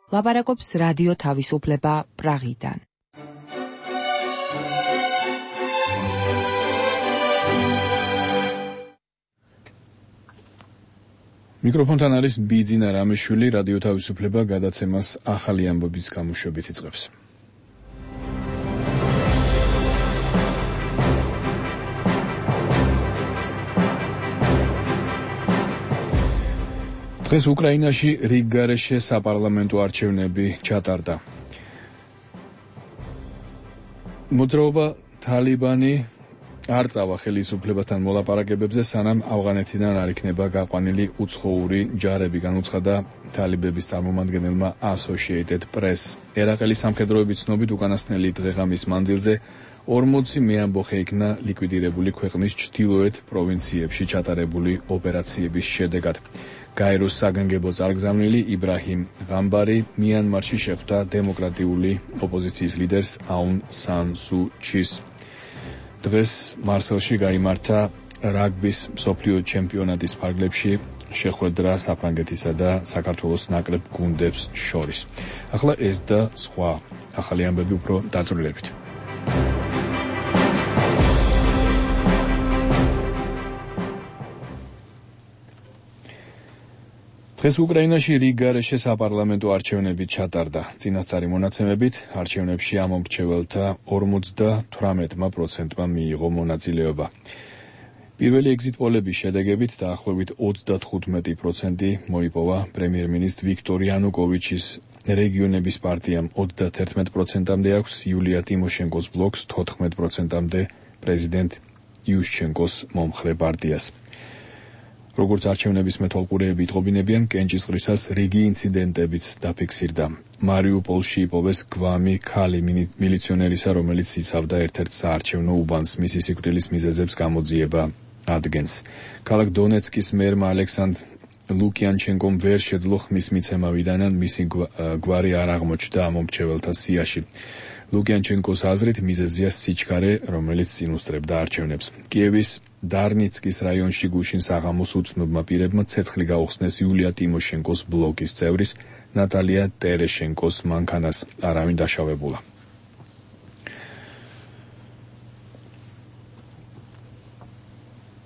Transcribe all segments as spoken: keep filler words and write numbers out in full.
ლაპარაკობს რადიო თავისუფლება პრაღიდან. მიკროფონთან არის ბიძინა რამიშვილი, რადიო თავისუფლება გადაცემას ახალი ამბების გამოშვებით იწყებს. დღეს უკრაინაში რიგგარეშე საპარლამენტო არჩევნები ჩატარდა. მოძრაობა თალიბანი არ წავა ხელისუფლებასთან მოლაპარაკებებზე, სანამ ავღანეთიდან არ იქნება გაყვანილი უცხოური ჯარები, განუცხადა თალიბების წარმომადგენელმა Associated Press. ერაყელის სამხედროების ცნობით უკანასკნელი დღე-ღამის მანძილზე ორმოცი მეამბოხე იქნა ლიკვიდირებული ქვეყნის ჩრდილოეთ პროვინციებში ჩატარებული ოპერაციების შედეგად. გაეროს საგანგებო წარგზავნილი იბრაჰიმ ღამბარი მიანმარში შეხვდა დემოკრატიული ოპოზიციის ლიდერს აუნ სან სუ ჩის. დღეს მარსელში გაიმართა რაგბის მსოფლიო ჩემპიონატის ფარგლებში შეხვედრა საფრანგეთისა და საქართველოს ნაკრებ გუნდებს შორის. ახლა ეს და სხვა ახალი ამბები უფრო დაწვრილებით. დღეს უკრაინაში რიგგარეშე საპარლამენტო არჩევნები ჩატარდა. წინასწარი მონაცემებით არჩევნებში ამომრჩეველთა ორმოცდათვრამეტ პროცენტმა მიიღო მონაწილეობა. პირველი ეგზიტ პოლების შედეგებით დაახლოებით ოცდათხუთმეტი პროცენტი მოიპოვა პრემიერ-მინისტრ ვიქტორ იანუკოვიჩის რეგიონების პარტიამ, ოცდათერთმეტ პროცენტამდე აქვს იულია ტიმოშენკოს ბლოკს, თოთხმეტ პროცენტამდე პრეზიდენტ იუშჩენკოს მომხრე პარტიას. როგორც არჩევნების მეთვალყურეები იტყობინებიან, კენჭისყრისას რიგი ინციდენტებიც დაფიქსირდა. მარიუპოლში იპოვეს გვამი ქალი მილიციონერისა, რომელიც იცავდა ერთ-ერთ საარჩევნო უბანს, მისი სიკვდილის მიზეზებს გამოძიება ადგენს. ქალაქ დონეცკის მერმა ალექსანდრ ლუკიანჩენკომ ვერ შეძლო ხმის მიცემა, ვიდანან მისი გვარი არ აღმოჩნდა ამომრჩეველთა სიაში. ლუკიანჩენკოს აზრით მიზეზია სიჩქარე, რომელიც წინუსწრებდა არჩევნებს. კიევის დარნიცკის რაიონში გუშინ საღამოს უცნობმა პირებმა ცეცხლი გაუხსნეს იულია ტიმოშენკოს ბლოკის წევრის ნატალია ტერეშენკოს მანქანას. არავინ დაშავებულა.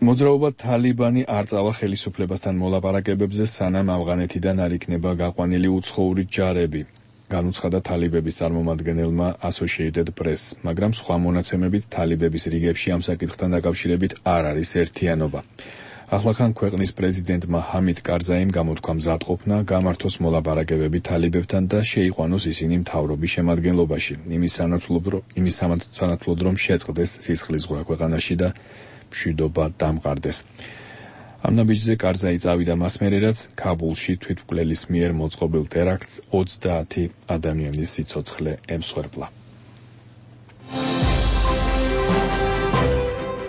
მოძრაობა თალიბანი არ წავა ხელისუფლებასთან მოლაპარაკებებზე, სანამ ავღანეთიდან არ იქნება გაყვანილი უცხოური ჯარები, განუცხადა თალიბების წარმომადგენელმა Associated Press, მაგრამ სხვა მონაცემებით თალიბების რიგებში ამ საკითხთან დაკავშირებით არ არის ერთიანობა. ახლახან ქვეყნის პრეზიდენტმა ჰამიდ კარზაიმ გამოთქვა მზადყოფნა გამართოს მოლაპარაკებები თალიბებთან და შეიყვანოს ისინი მთავრობის შემადგენლობაში, იმის სანაცვლოდ რომ შეწყდეს სისხლისღვრა ქვეყანაში და მშვიდობა დამყარდეს. ამ ნაბიჯზე კარზაი წავიდა მას მერე, რაც ქაბულში თვითმკვლელის მიერ მოწყობილ ტერაქტს ოცდაათი ადამიანის სიცოცხლე ემსხვერპლა.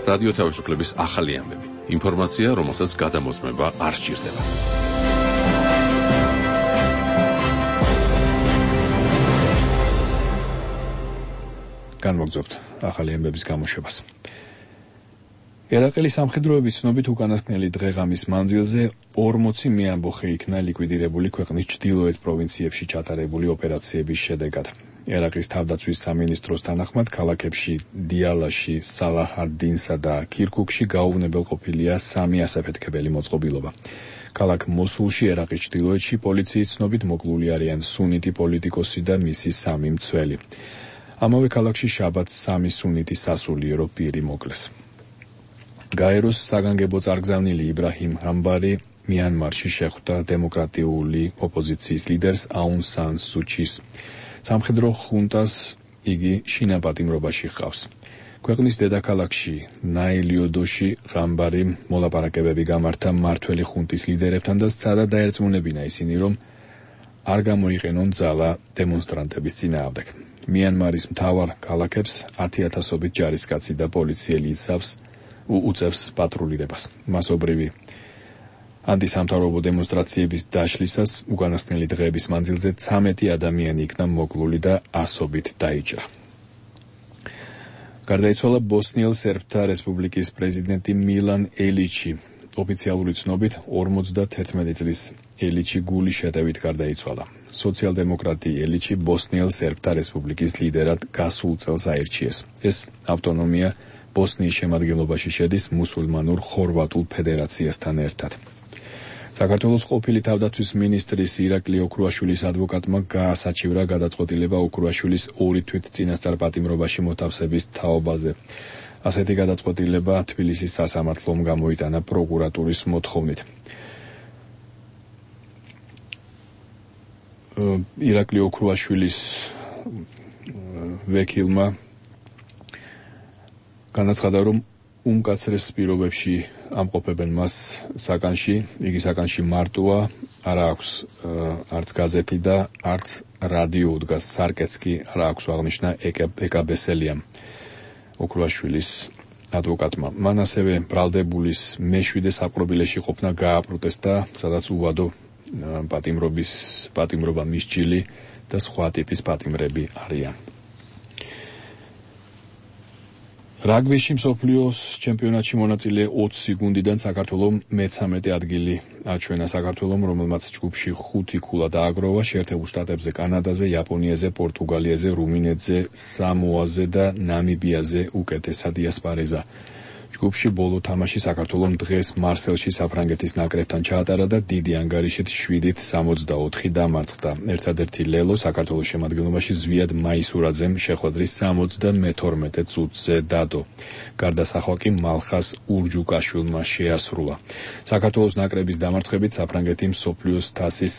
რადიო თავისუფლების ახალი ამბები. ინფორმაცია, რომელსაც გადამოწმება არ სჭირდება. განმოგძობთ ახალი ამბების გამოშვებას. ერაყელის სამხედროების ცნობით უკანასკნელი დღე-ღამის მანძილზე ორმოცი მეამბოხე იქნა ლიკვიდირებული ქვეყნის ჩრდილოეთ პროვინციებში ჩატარებული ოპერაციების შედეგად. ერაყის თავდაცვის სამინისტროს თანახმად, ქალაქებში დიალაში, სალაჰ-ად-დინსა და ქირქუქში გაუვნებელყოფილია სამი ასაფეთქებელი მოწყობილობა. ქალაქ მოსულში, ერაყის ჩრდილოეთში, პოლიციის ცნობით მოკლული არიან სუნიტი პოლიტიკოსი და მისი სამი მცველი. ამავე ქალაქში შაბათს სამი სუნიტი სასულიერო პირი მოკლეს. გაეროს საგანგებო წარგზავნილი იბრაჰიმ ღამბარი მიანმარში შეხვდა დემოკრატიული ოპოზიციის ლიდერს აუნ სან სუ ჩის. სამხედრო ხუნტას იგი შინაპატიმრობაში ჰყავს. ქვეყნის დედაქალაქში ნაილიოდოში ღამბარი მოლაპარაკებები გამართა მმართველი ხუნტის ლიდერებთან და სცადა დაერწმუნებინა ისინი, რომ არ გამოიყენონ ძალა დემონსტრანტების წინააღმდეგ. მიანმარის მთავარ ქალაქებს ათიათასობით ჯარისკაცი და პოლიციელი იცავს უწევს პატრულირებას. მასობრივი ანტისამთავრობო დემონსტრაციების დაშლისას უკანასკნელი დღეების მანძილზე ცამეტი ადამიანი იქნა მოკლული და ასობით დაიჭრა. გარდაიცვალა ბოსნიელ სერბთა რესპუბლიკის პრეზიდენტი მილან ელიჩი. ოფიციალური ცნობით ორმოცდათერთმეტი წლის ელიჩი გულის შეტევით გარდაიცვალა. სოციალ-დემოკრატი ელიჩი ბოსნიელ სერბთა რესპუბლიკის ლიდერად გასულ წელს აირჩიეს. ეს ავტონომია ბოსნიის შემადგენლობაში შედის მუსულმანურ ხორვატულ ფედერაციასთან ერთად. საქართველოს ყოფილი თავდაცვის მინისტრის ირაკლი ოქრუაშვილის ადვოკატმა გაასაჩივრა გადაწყვეტილება ოქრუაშვილის ორი თვით წინასწარ პატიმრობაში მოთავსების თაობაზე. ასეთი გადაწყვეტილება თბილისის სასამართლომ გამოიტანა პროკურატურის მოთხოვნით. ირაკლი ოქრუაშვილის ვეკილმა განაცხადა, რომ უმკაცრეს პირობებში ამყოფებენ მას საკანში, იგი საკანში მარტოა, არ აქვს არც გაზეთი და არც რადიო უდგას, სარკეც კი არ აქვს, აღნიშნა ეკაბესელიამ ოქრუაშვილის ადვოკატმა. მან ასევე ბრალდებულის მეშვიდე საპყრობილეში ყოფნა გააპროტესტა, სადაც უვადო პატიმრობის პატიმრობა მისჯილი და სხვა ტიპის პატიმრები არიან. რაგბიში მსოფლიოს ჩემპიონატში მონაწილე ოცი გუნდიდან საქართველომ მეცამეტე ადგილი აჩვენა. საქართველომ, რომელმაც ჯგუფში ხუთი ქულა დააგროვა, შეერთებულ შტატებზე, კანადაზე, იაპონიაზე, პორტუგალიაზე, რუმინეთზე, სამოაზე და ნამიბიაზე უკეთესად იასპარეზა. ჯგუფში ბოლო თამაში საქართველომ დღეს მარსელში საფრანგეთის ნაკრებთან ჩაატარა და დიდი ანგარიშით შვიდით სამოცდაოთხი დამარცხდა. ერთადერთი ლელო საქართველოს შემადგენლობაში ზვიად მაისურაძემ შეხვედრის სამოცდამეთორმეტე წუთზე დადო. გარდასახვა კი მალხას ურჯუკაშვილმა შეასრულა. საქართველოს ნაკრების დამარცხებით საფრანგეთი მსოფლიოს თასის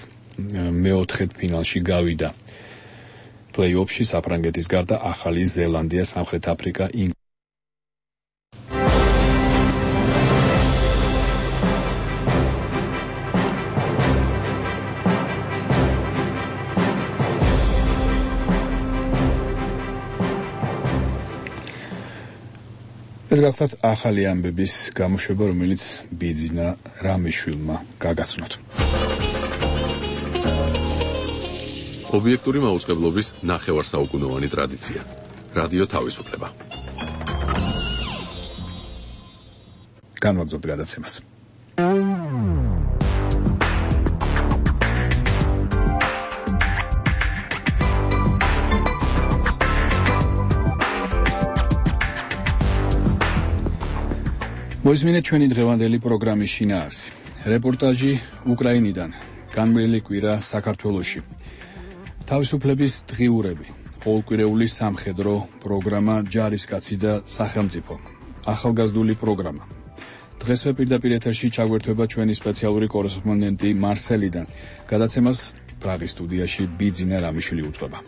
მეოთხედფინალში გავიდა. პლეი-ოფში საფრანგეთის გარდა ახალი ზელანდია, სამხრეთ აფრიკა, ეს გახლავთ ახალი ამბების გამოშვება, რომელიც ბიძინა რამიშვილმა გაგაცნოთ. ობიექტური მაუწყებლობის ნახევარსაუკუნოვანი ტრადიცია. რადიო თავისუფლება. განვაგრძობთ გადაცემას. მოისმინეთ ჩვენი დღევანდელი პროგრამის შინაარსი. რეპორტაჟი უკრაინიდან, განვლილი კვირა საქართველოში. თავისუფლების დღიურები, ყოველკვირეული სამხედრო პროგრამა ჯარისკაცი და სახელმწიფო. ახალგაზრდული პროგრამა. დღესვე პირდაპირ ეთერში ჩაგვერთვება ჩვენი სპეციალური კორესპონდენტი მარსელიდან. გადაცემას პრაღის სტუდიაში ბიძინა რამიშვილი უწყება.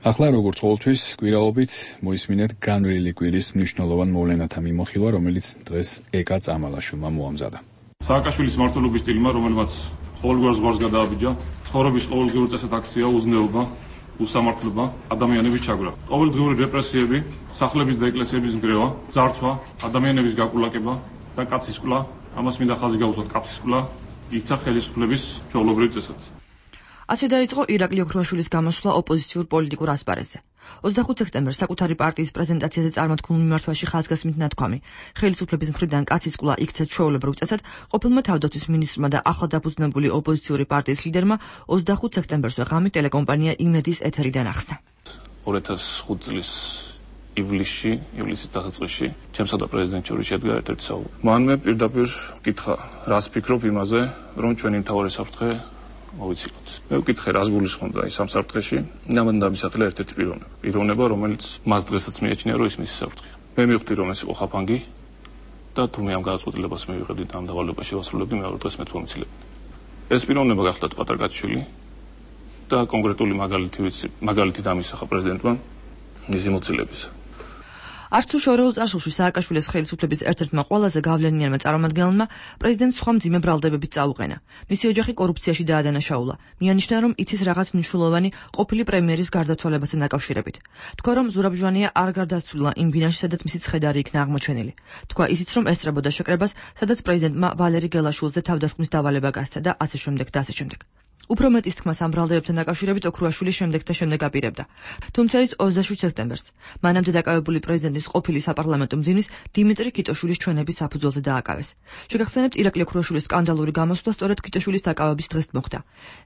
ახლა როგორც ყოველთვის კვირაობით მოისმინეთ განვლილი კვირის მნიშვნელოვან მოვლენათა მიმოხილვა, რომელიც დღეს ეკა წამალაშვილმა მოამზადა. სააკაშვილის მმართველობის სტილმა, რომელმაც ყოველგვარ ზღვარს გადააბიჯა, ცხოვრების ყოველგვარ წესად აქცია უზნეობა, უსამართლობა, ადამიანების ჩაგვრა. ყოველდღიური რეპრესიები, სახლების და ეკლესიების ნგრევა, ძარცვა, ადამიანების გაკულაკება და კაცისკვლა, ამას მინდა ხაზი გაუსვათ კაცისკვლა, იქცა ხელისუფლების ჩვეულებრივ წესად. ასე დაიწყო ირაკლი ოქრუაშვილის გამოსვლა ოპოზიციურ პოლიტიკურ ასპარეზზე. ოცდახუთი სექტემბერს საკუთარი პარტიის პრეზენტაციაზე წარმოთქმულ მიმართვაში ხაზგასმით ნათქვამი, ხელისუფლების მხრიდან კაცისკვლა იქცა ჩვეულებრივ წესად, ყოფილმა თავდაცვის მინისტრმა და ახლადაფუძნებული ოპოზიციური პარტიის ლიდერმა ოცდახუთი სექტემბერს ღამით ტელეკომპანია იმედის ეთერიდან ახსნა. ორი ათას ხუთი წლის ივლისში, ივლისის დასაწყისში, ჩემსა და პრეზიდენტს შორის შედგა ერთ-ერთი საუბარი. მან მე პირდაპირ კითხა, რას ფიქრობ იმაზე, რომ ჩვენი მთავარი საფრთხე მოვიცილოთ. მე ვკითხე, რას გულისხმობდა ის ამ საფრთხეში, ამან დამისახელა ერთ-ერთი პიროვნება. პიროვნება, რომელიც მას დღესაც მიაჩნია, რომ ის მისი საფრთხეა. მე მივხვდი, რომ ეს იყო ხაფანგი და თუ მე ამ გადაწყვეტილებას მივიღებდი და ამ დავალებაში ვასრულებდი, მეორე დღეს მე თვომიცილებდი. ეს პიროვნება გახლავთ პატარ კაცშვილი და კონკრეტული მაგალითი ვიცი, მაგალითი დამისახა პრეზიდენტმა მისი მოცილების. არც თუ შორეულ წარსულში სააკაშვილის ხელისუფლების ერთ-ერთმა ყველაზე გავლენიანმა წარმომადგენელმა პრეზიდენტს სხვა მძიმე ბრალდებებით წაუყენა. მისი ოჯახი კორუფციაში დაადანაშაულა. მიანიშნა, რომ იცის რაღაც მნიშვნელოვანი ყოფილი პრემიერის გარდაცვალებასთან დაკავშირებით. თქვა, რომ ზურაბ ჟვანია არ გარდაცვლილა იმ ბინაში, სადაც მისი ცხედარი იქნა აღმოჩენილი. თქვა ისიც, რომ ესწრებოდა შეკრებას, სადაც პრეზიდენტმა ვალერი გელაშვილზე თავდასხმის დავალება გასცა და ასე შემდეგ და ასე შემდეგ. უფრო მეტის თქმას ამ ბრალდებებთან დაკავშირებით ოქრუაშვილი შემდეგ და შემდეგ აპირებდა. თუმცა ის ოცდაშვიდ სექტემბერს მანამდე დაკავებული პრეზიდენტის ყოფილი საპარლამენტო მდივნის დიმიტრი კიტოშვილის ჩვენების საფუძველზე დააკავეს. შეგახსენებთ, ირაკლი ოქრუაშვილის სკანდალური გამოსვლა სწორედ კიტოშვილის დაკავების დღეს მოხდა.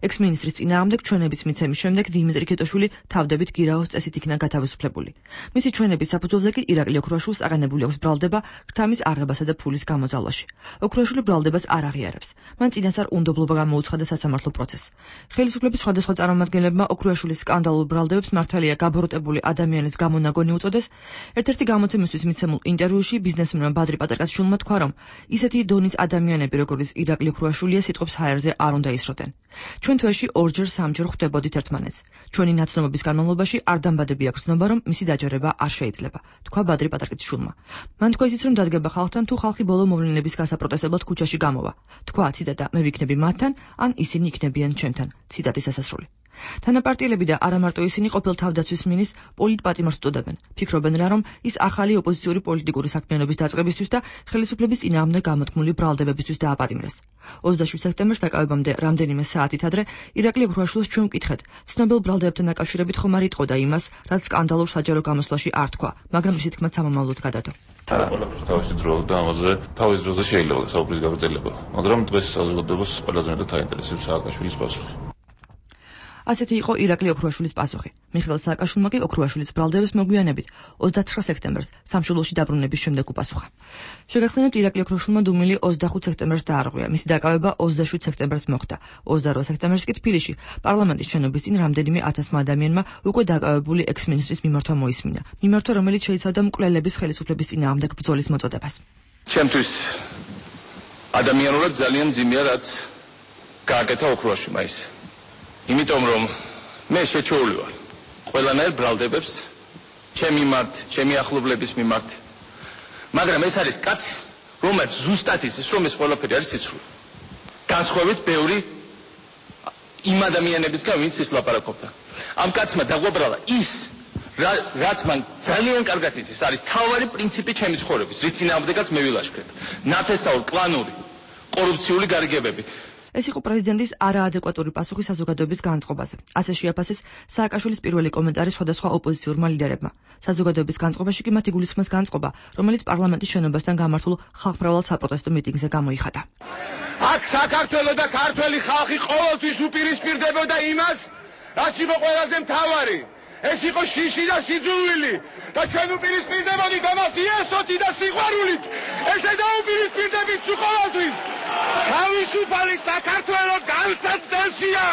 ექს-მინისტრის წინააღმდეგ ჩვენების მიცემის შემდეგ დიმიტრი კიტოშვილი თავდებით გირაოს წესით იქნა გათავისუფლებული. მისი ჩვენების საფუძველზე კი ირაკლი ოქრუაშვილს აყენებული აქვს ბრალდება ღრთამის აღებასა და ფულის გამოძალვაში. ოქრუაშვილი ბრალდებას არ აღიარებს. მან წინასწარ უნდობლობა გამოუცხადა სასამართლო პროცესს. ხელისუფლების სხვადასხვა წარმომადგენლებმა ოქრუაშვილის სკანდალურ ბრალდებებს მართალია გაბოროტებული ადამიანის გამონაგონი უწოდეს. ერთ-ერთი გამოცემისთვის მიცემულ ინტერვიუში ბიზნესმენმა ბადრი პატარკაშვილმა თქვა, რომ ისეთი დონის ადამიანები, როგორც ირაკლი ოქრუაშვილია, სიტყვებს ჰაერზე არ უნდა ისროდნენ. ჩვენ თვეში ორჯერ სამჯერ ხვდებოდით ერთმანეთს. ჩვენი ნაცნობობის განმავლობაში არ დამბადები აქვს ცნობა, რომ მისი დაჯერება არ შეიძლება, თქვა ბადრი პატარკაშვილმა. მან თქვა ისიც, რომ დადგება ხალხთან, თუ ხალხი ბოლო მოვლენების გასაპროტესტებლად ქუჩაში გამოვა. თქვა, ციტატა, მე ვიქნები მათთან, ან ისინი იქნებიან ჩემთან. ციტატის დასასრული. თანაპარტიელები და არა მარტო ისინი ყოფილ თავდაცვის მინისტრს პოლიტპატიმარს უწოდებენ. ფიქრობენ რა, რომ ის ახალი ოპოზიციური პოლიტიკური საქმიანობის დაწყებისთვის და ხელისუფლების წინააღმდეგ გამოთქმული ბრალდებებისთვის დააპატიმრეს. ოცდაშვიდ სექტემბერს დაკავებამდე რამდენიმე საათით ადრე ირაკლი ოქრუაშვილს ჩვენ ვკითხეთ, ცნობილ ბრალდებებთან დაკავშირებით ხომ არ იტყოდა იმას, რაც სკანდალურ საჯარო გამოსვლაში არ თქვა, მაგრამ ისეთი თქმა სამომავლოდ გადადო. ყველაფერს თავისი დრო და ამაზე თავის დროზე შეიძლება საუბრის გაგრძელება, მაგრამ დღეს საზოგადოებას ყველაზე მეტად აინტერესებს სააკაშვილის პასუხი. ასეთი იყო ირაკლი ოქრუაშვილის პასუხი. მიხეილ სააკაშვილმა კი ოქრუაშვილის ბრალდების მოგვიანებით ოცდაცხრა სექტემბერს სამშობლოში დაბრუნების შემდეგ უპასუხა. შეგახსენებთ, ირაკლი ოქრუაშვილმა დუმილი ოცდახუთ სექტემბერს დაარღვია. მისი დაკავება ოცდაშვიდ სექტემბერს მოხდა. ოცდარვა სექტემბერს კი თბილისში პარლამენტის შენობის წინ რამდენიმე ათასმა ადამიანმა უკვე დაკავებული ექს-მინისტრის მიმართვა მოისმინა. მიმართვა, რომელიც შეიცავდა მკვლელების ხელისუფლების წინააღმდეგ ბრძოლის მოწოდებას. ჩემთვის ადამიანურად ძალიან მძიმეა, რაც გააკეთა ოქრუაშვილმა ის. იმიტომ რომ მე შეჩეული ვარ ყველანაირ ბრალდებებს ჩემი მიმართ, ჩემი ახლობლების მიმართ. მაგრამ ეს არის კაცი, რომელიც ზუსტად იცის, რომ ეს ყველაფერი არის სიცრუე. განსხვავებით ბევრი იმ ადამიანებისგან, ვინც ის ლაპარაკობდა. ამ კაცმა დაგვაბრალა ის, რაც მან ძალიან კარგად იცის, არის თავარი პრინციპი ჩემი ცხოვრების, რის წინააღმდეგაც მე ვილაშქრებ. ნათესაური, კლანური, კორუფციული გარიგებები. ეს იყო პრეზიდენტის არაადეკვატური პასუხი საზოგადოების განწყობაზე. ასე შეაფასეს სააკაშვილის პირველი კომენტარი სხვადასხვა ოპოზიციურმა ლიდერებმა. საზოგადოების განწყობაში კი მათი გულისხმის განწყობა, რომელიც პარლამენტის შენობასთან გამართულ ხალხმრავალ საპროტესტო მიტინგზე გამოიხატა. აქ საქართველო და ქართველი ხალხი ყოველთვის უპირისპირდებოდა იმას, რაც იყო ყველაზე მთავარი. ეს იყო შიში და სიძულვილი და ჩვენ უპირისპირდებოდით ამას იესოთი და სიყვარულით. ესე დაუპირისპირდებით ყოველთვის. თავისუფალი საქართველო განსაცდელშია.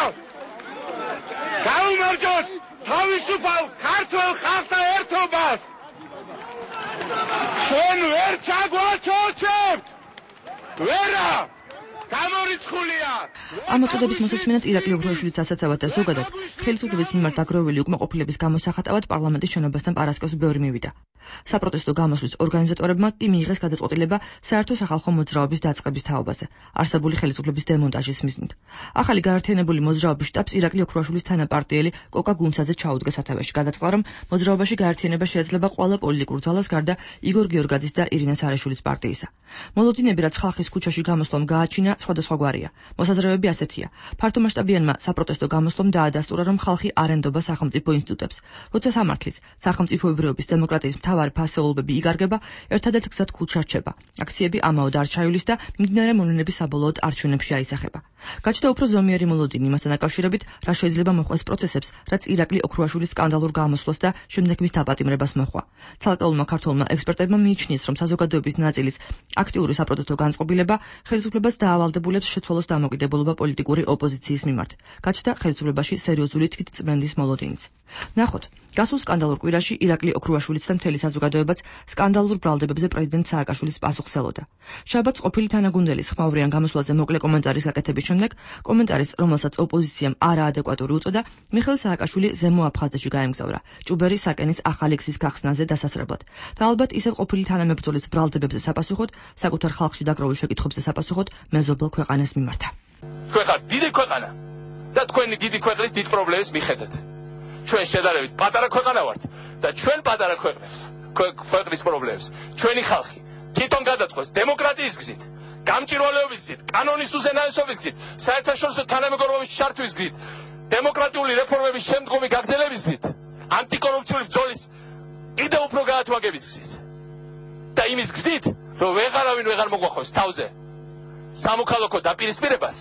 გაუმარჯოს თავისუფალ ქართველ ხალხთა ერთობას. ჩვენ ვერ ჩაგვაჩოჩებთ. ვერა გამორიცხულია. ამ მოწოდების მოსასმენად ირაკლი ოქრუაშვილის ასაცავად და ზოგადად ხელისუფლების მიმართ დაგროვილი უკმაყოფილების გამოსახატავად პარლამენტის შენობასთან პარასკევს ბევრი მივიდა. საპროტესტო გამოსვლის ორგანიზატორებმა კი მიიღეს გადაწყვეტილება საერთო სახალხო მოძრაობის დაწყების თაობაზე, არსებული ხელისუფლების დემონტაჟის მიზნით. ახალი გაერთიანებული მოძრაობის შტაბს ირაკლი ოქრუაშვილის თანაპარტიელი კოკა გუნცაძე ჩაუდგა სათავეში. გადაწყდა, რომ მოძრაობაში გაერთიანება შეიძლება ყველა პოლიტიკურ ძალას გარდა იგორ გიორგაძის და ირინა სარაშვილის პარტიისა. მოლოდინები, რაც ხალხის ქუჩაში გამოსვლამ გააჩინა, სხვადასხვაგვარია. მოსაზრებები ასეთია: ფართომასშტაბიანმა საპროტესტო გამოსვლამ დაადასტურა, რომ ხალხი არ ენდობა სახელმწიფო ინსტიტუტებს. როცა სამართლის, სახელმწიფოებრიობის, დემოკრატიის მთავარი ფასეულობები იგარგება, ერთადერთ გზად ქუჩა რჩება. აქციები ამაოდ არ ჩაივლის და მიმდინარე მოვლენები საბოლოოდ არჩევნებში აისახება. გაჩნდა უფრო ზომიერი მოლოდინი იმასთან დაკავშირებით, რა შეიძლება მოხდეს პროცესებს, რაც ირაკლი ოქრუაშვილის სკანდალურ გამოსვლას და შემდეგ მის დაპატიმრებას მოჰყვა. ცალკეულმა ქართველმა ექსპერტებმა მიიჩნიეს, რომ საზოგადოების ნაწილის აქტიური საპროტესტო განწყობილება ხელისუფლებას დაავალდებულებს შეცვალოს დამოკიდებულება პოლიტიკური ოპოზიციის მიმართ. გაჩნდა ხელისუფლებაში სერიოზული თვითწმენდის მოლოდინიც. ნახოთ, გასულ სკანდალურ კვირაში ირაკლი ოქრუაშვილიც და მთელი საზოგადოებაც სკანდალურ ბრალდებებზე პრეზიდენტ სააკაშვილის პასუხს ელოდა. შაბათს ყოფილი თანაგუნდელის ხმაურიან გამოსვლაზე მოკლე კომენტარის გაკეთების შემდეგ, კომენტარის, რომელსაც ოპოზიციამ არაადეკვატური უწოდა, მიხეილ სააკაშვილი ზემო აფხაზეთში გაემგზავრა, ჭუბერი საკენის ახალი გზის გახსნაზე დასასრებლად. და ალბათ ისევ ყოფილი თანამებრძოლის ბრალდებებზე საპასუხოდ, საკუთარ ხალხში დაგროვილ შეკითხვებზე საპასუხოდ მეზობელ ქვეყანას მიმართა. თქვენ ხართ დიდი ქვეყანა და თქვენი დიდი ქვეყნის დიდ პრობლემებს მიხედავთ. ჩვენ შედარებით პატარა ქვეყანა ვართ და ჩვენ პატარა ქვეყნებს, ქვეყნის პრობლემებს ჩვენი ხალხი თვითონ გადაწყვეტს დემოკრატიის გზით, გამჭირვალეობის გზით, კანონის უზენაესობის გზით, საერთაშორისო თანამეგობრობის ჩართვის გზით, დემოკრატიული რეფორმების შემდგომი გაგრძელების გზით, ანტიკორუფციული ბრძოლის კიდევ უფრო გაათვაგების გზით და იმის გზით, რომ ვეღარავინ ვეღარ მოგვახოს თავზე სამოქალაქო დაპირისპირებას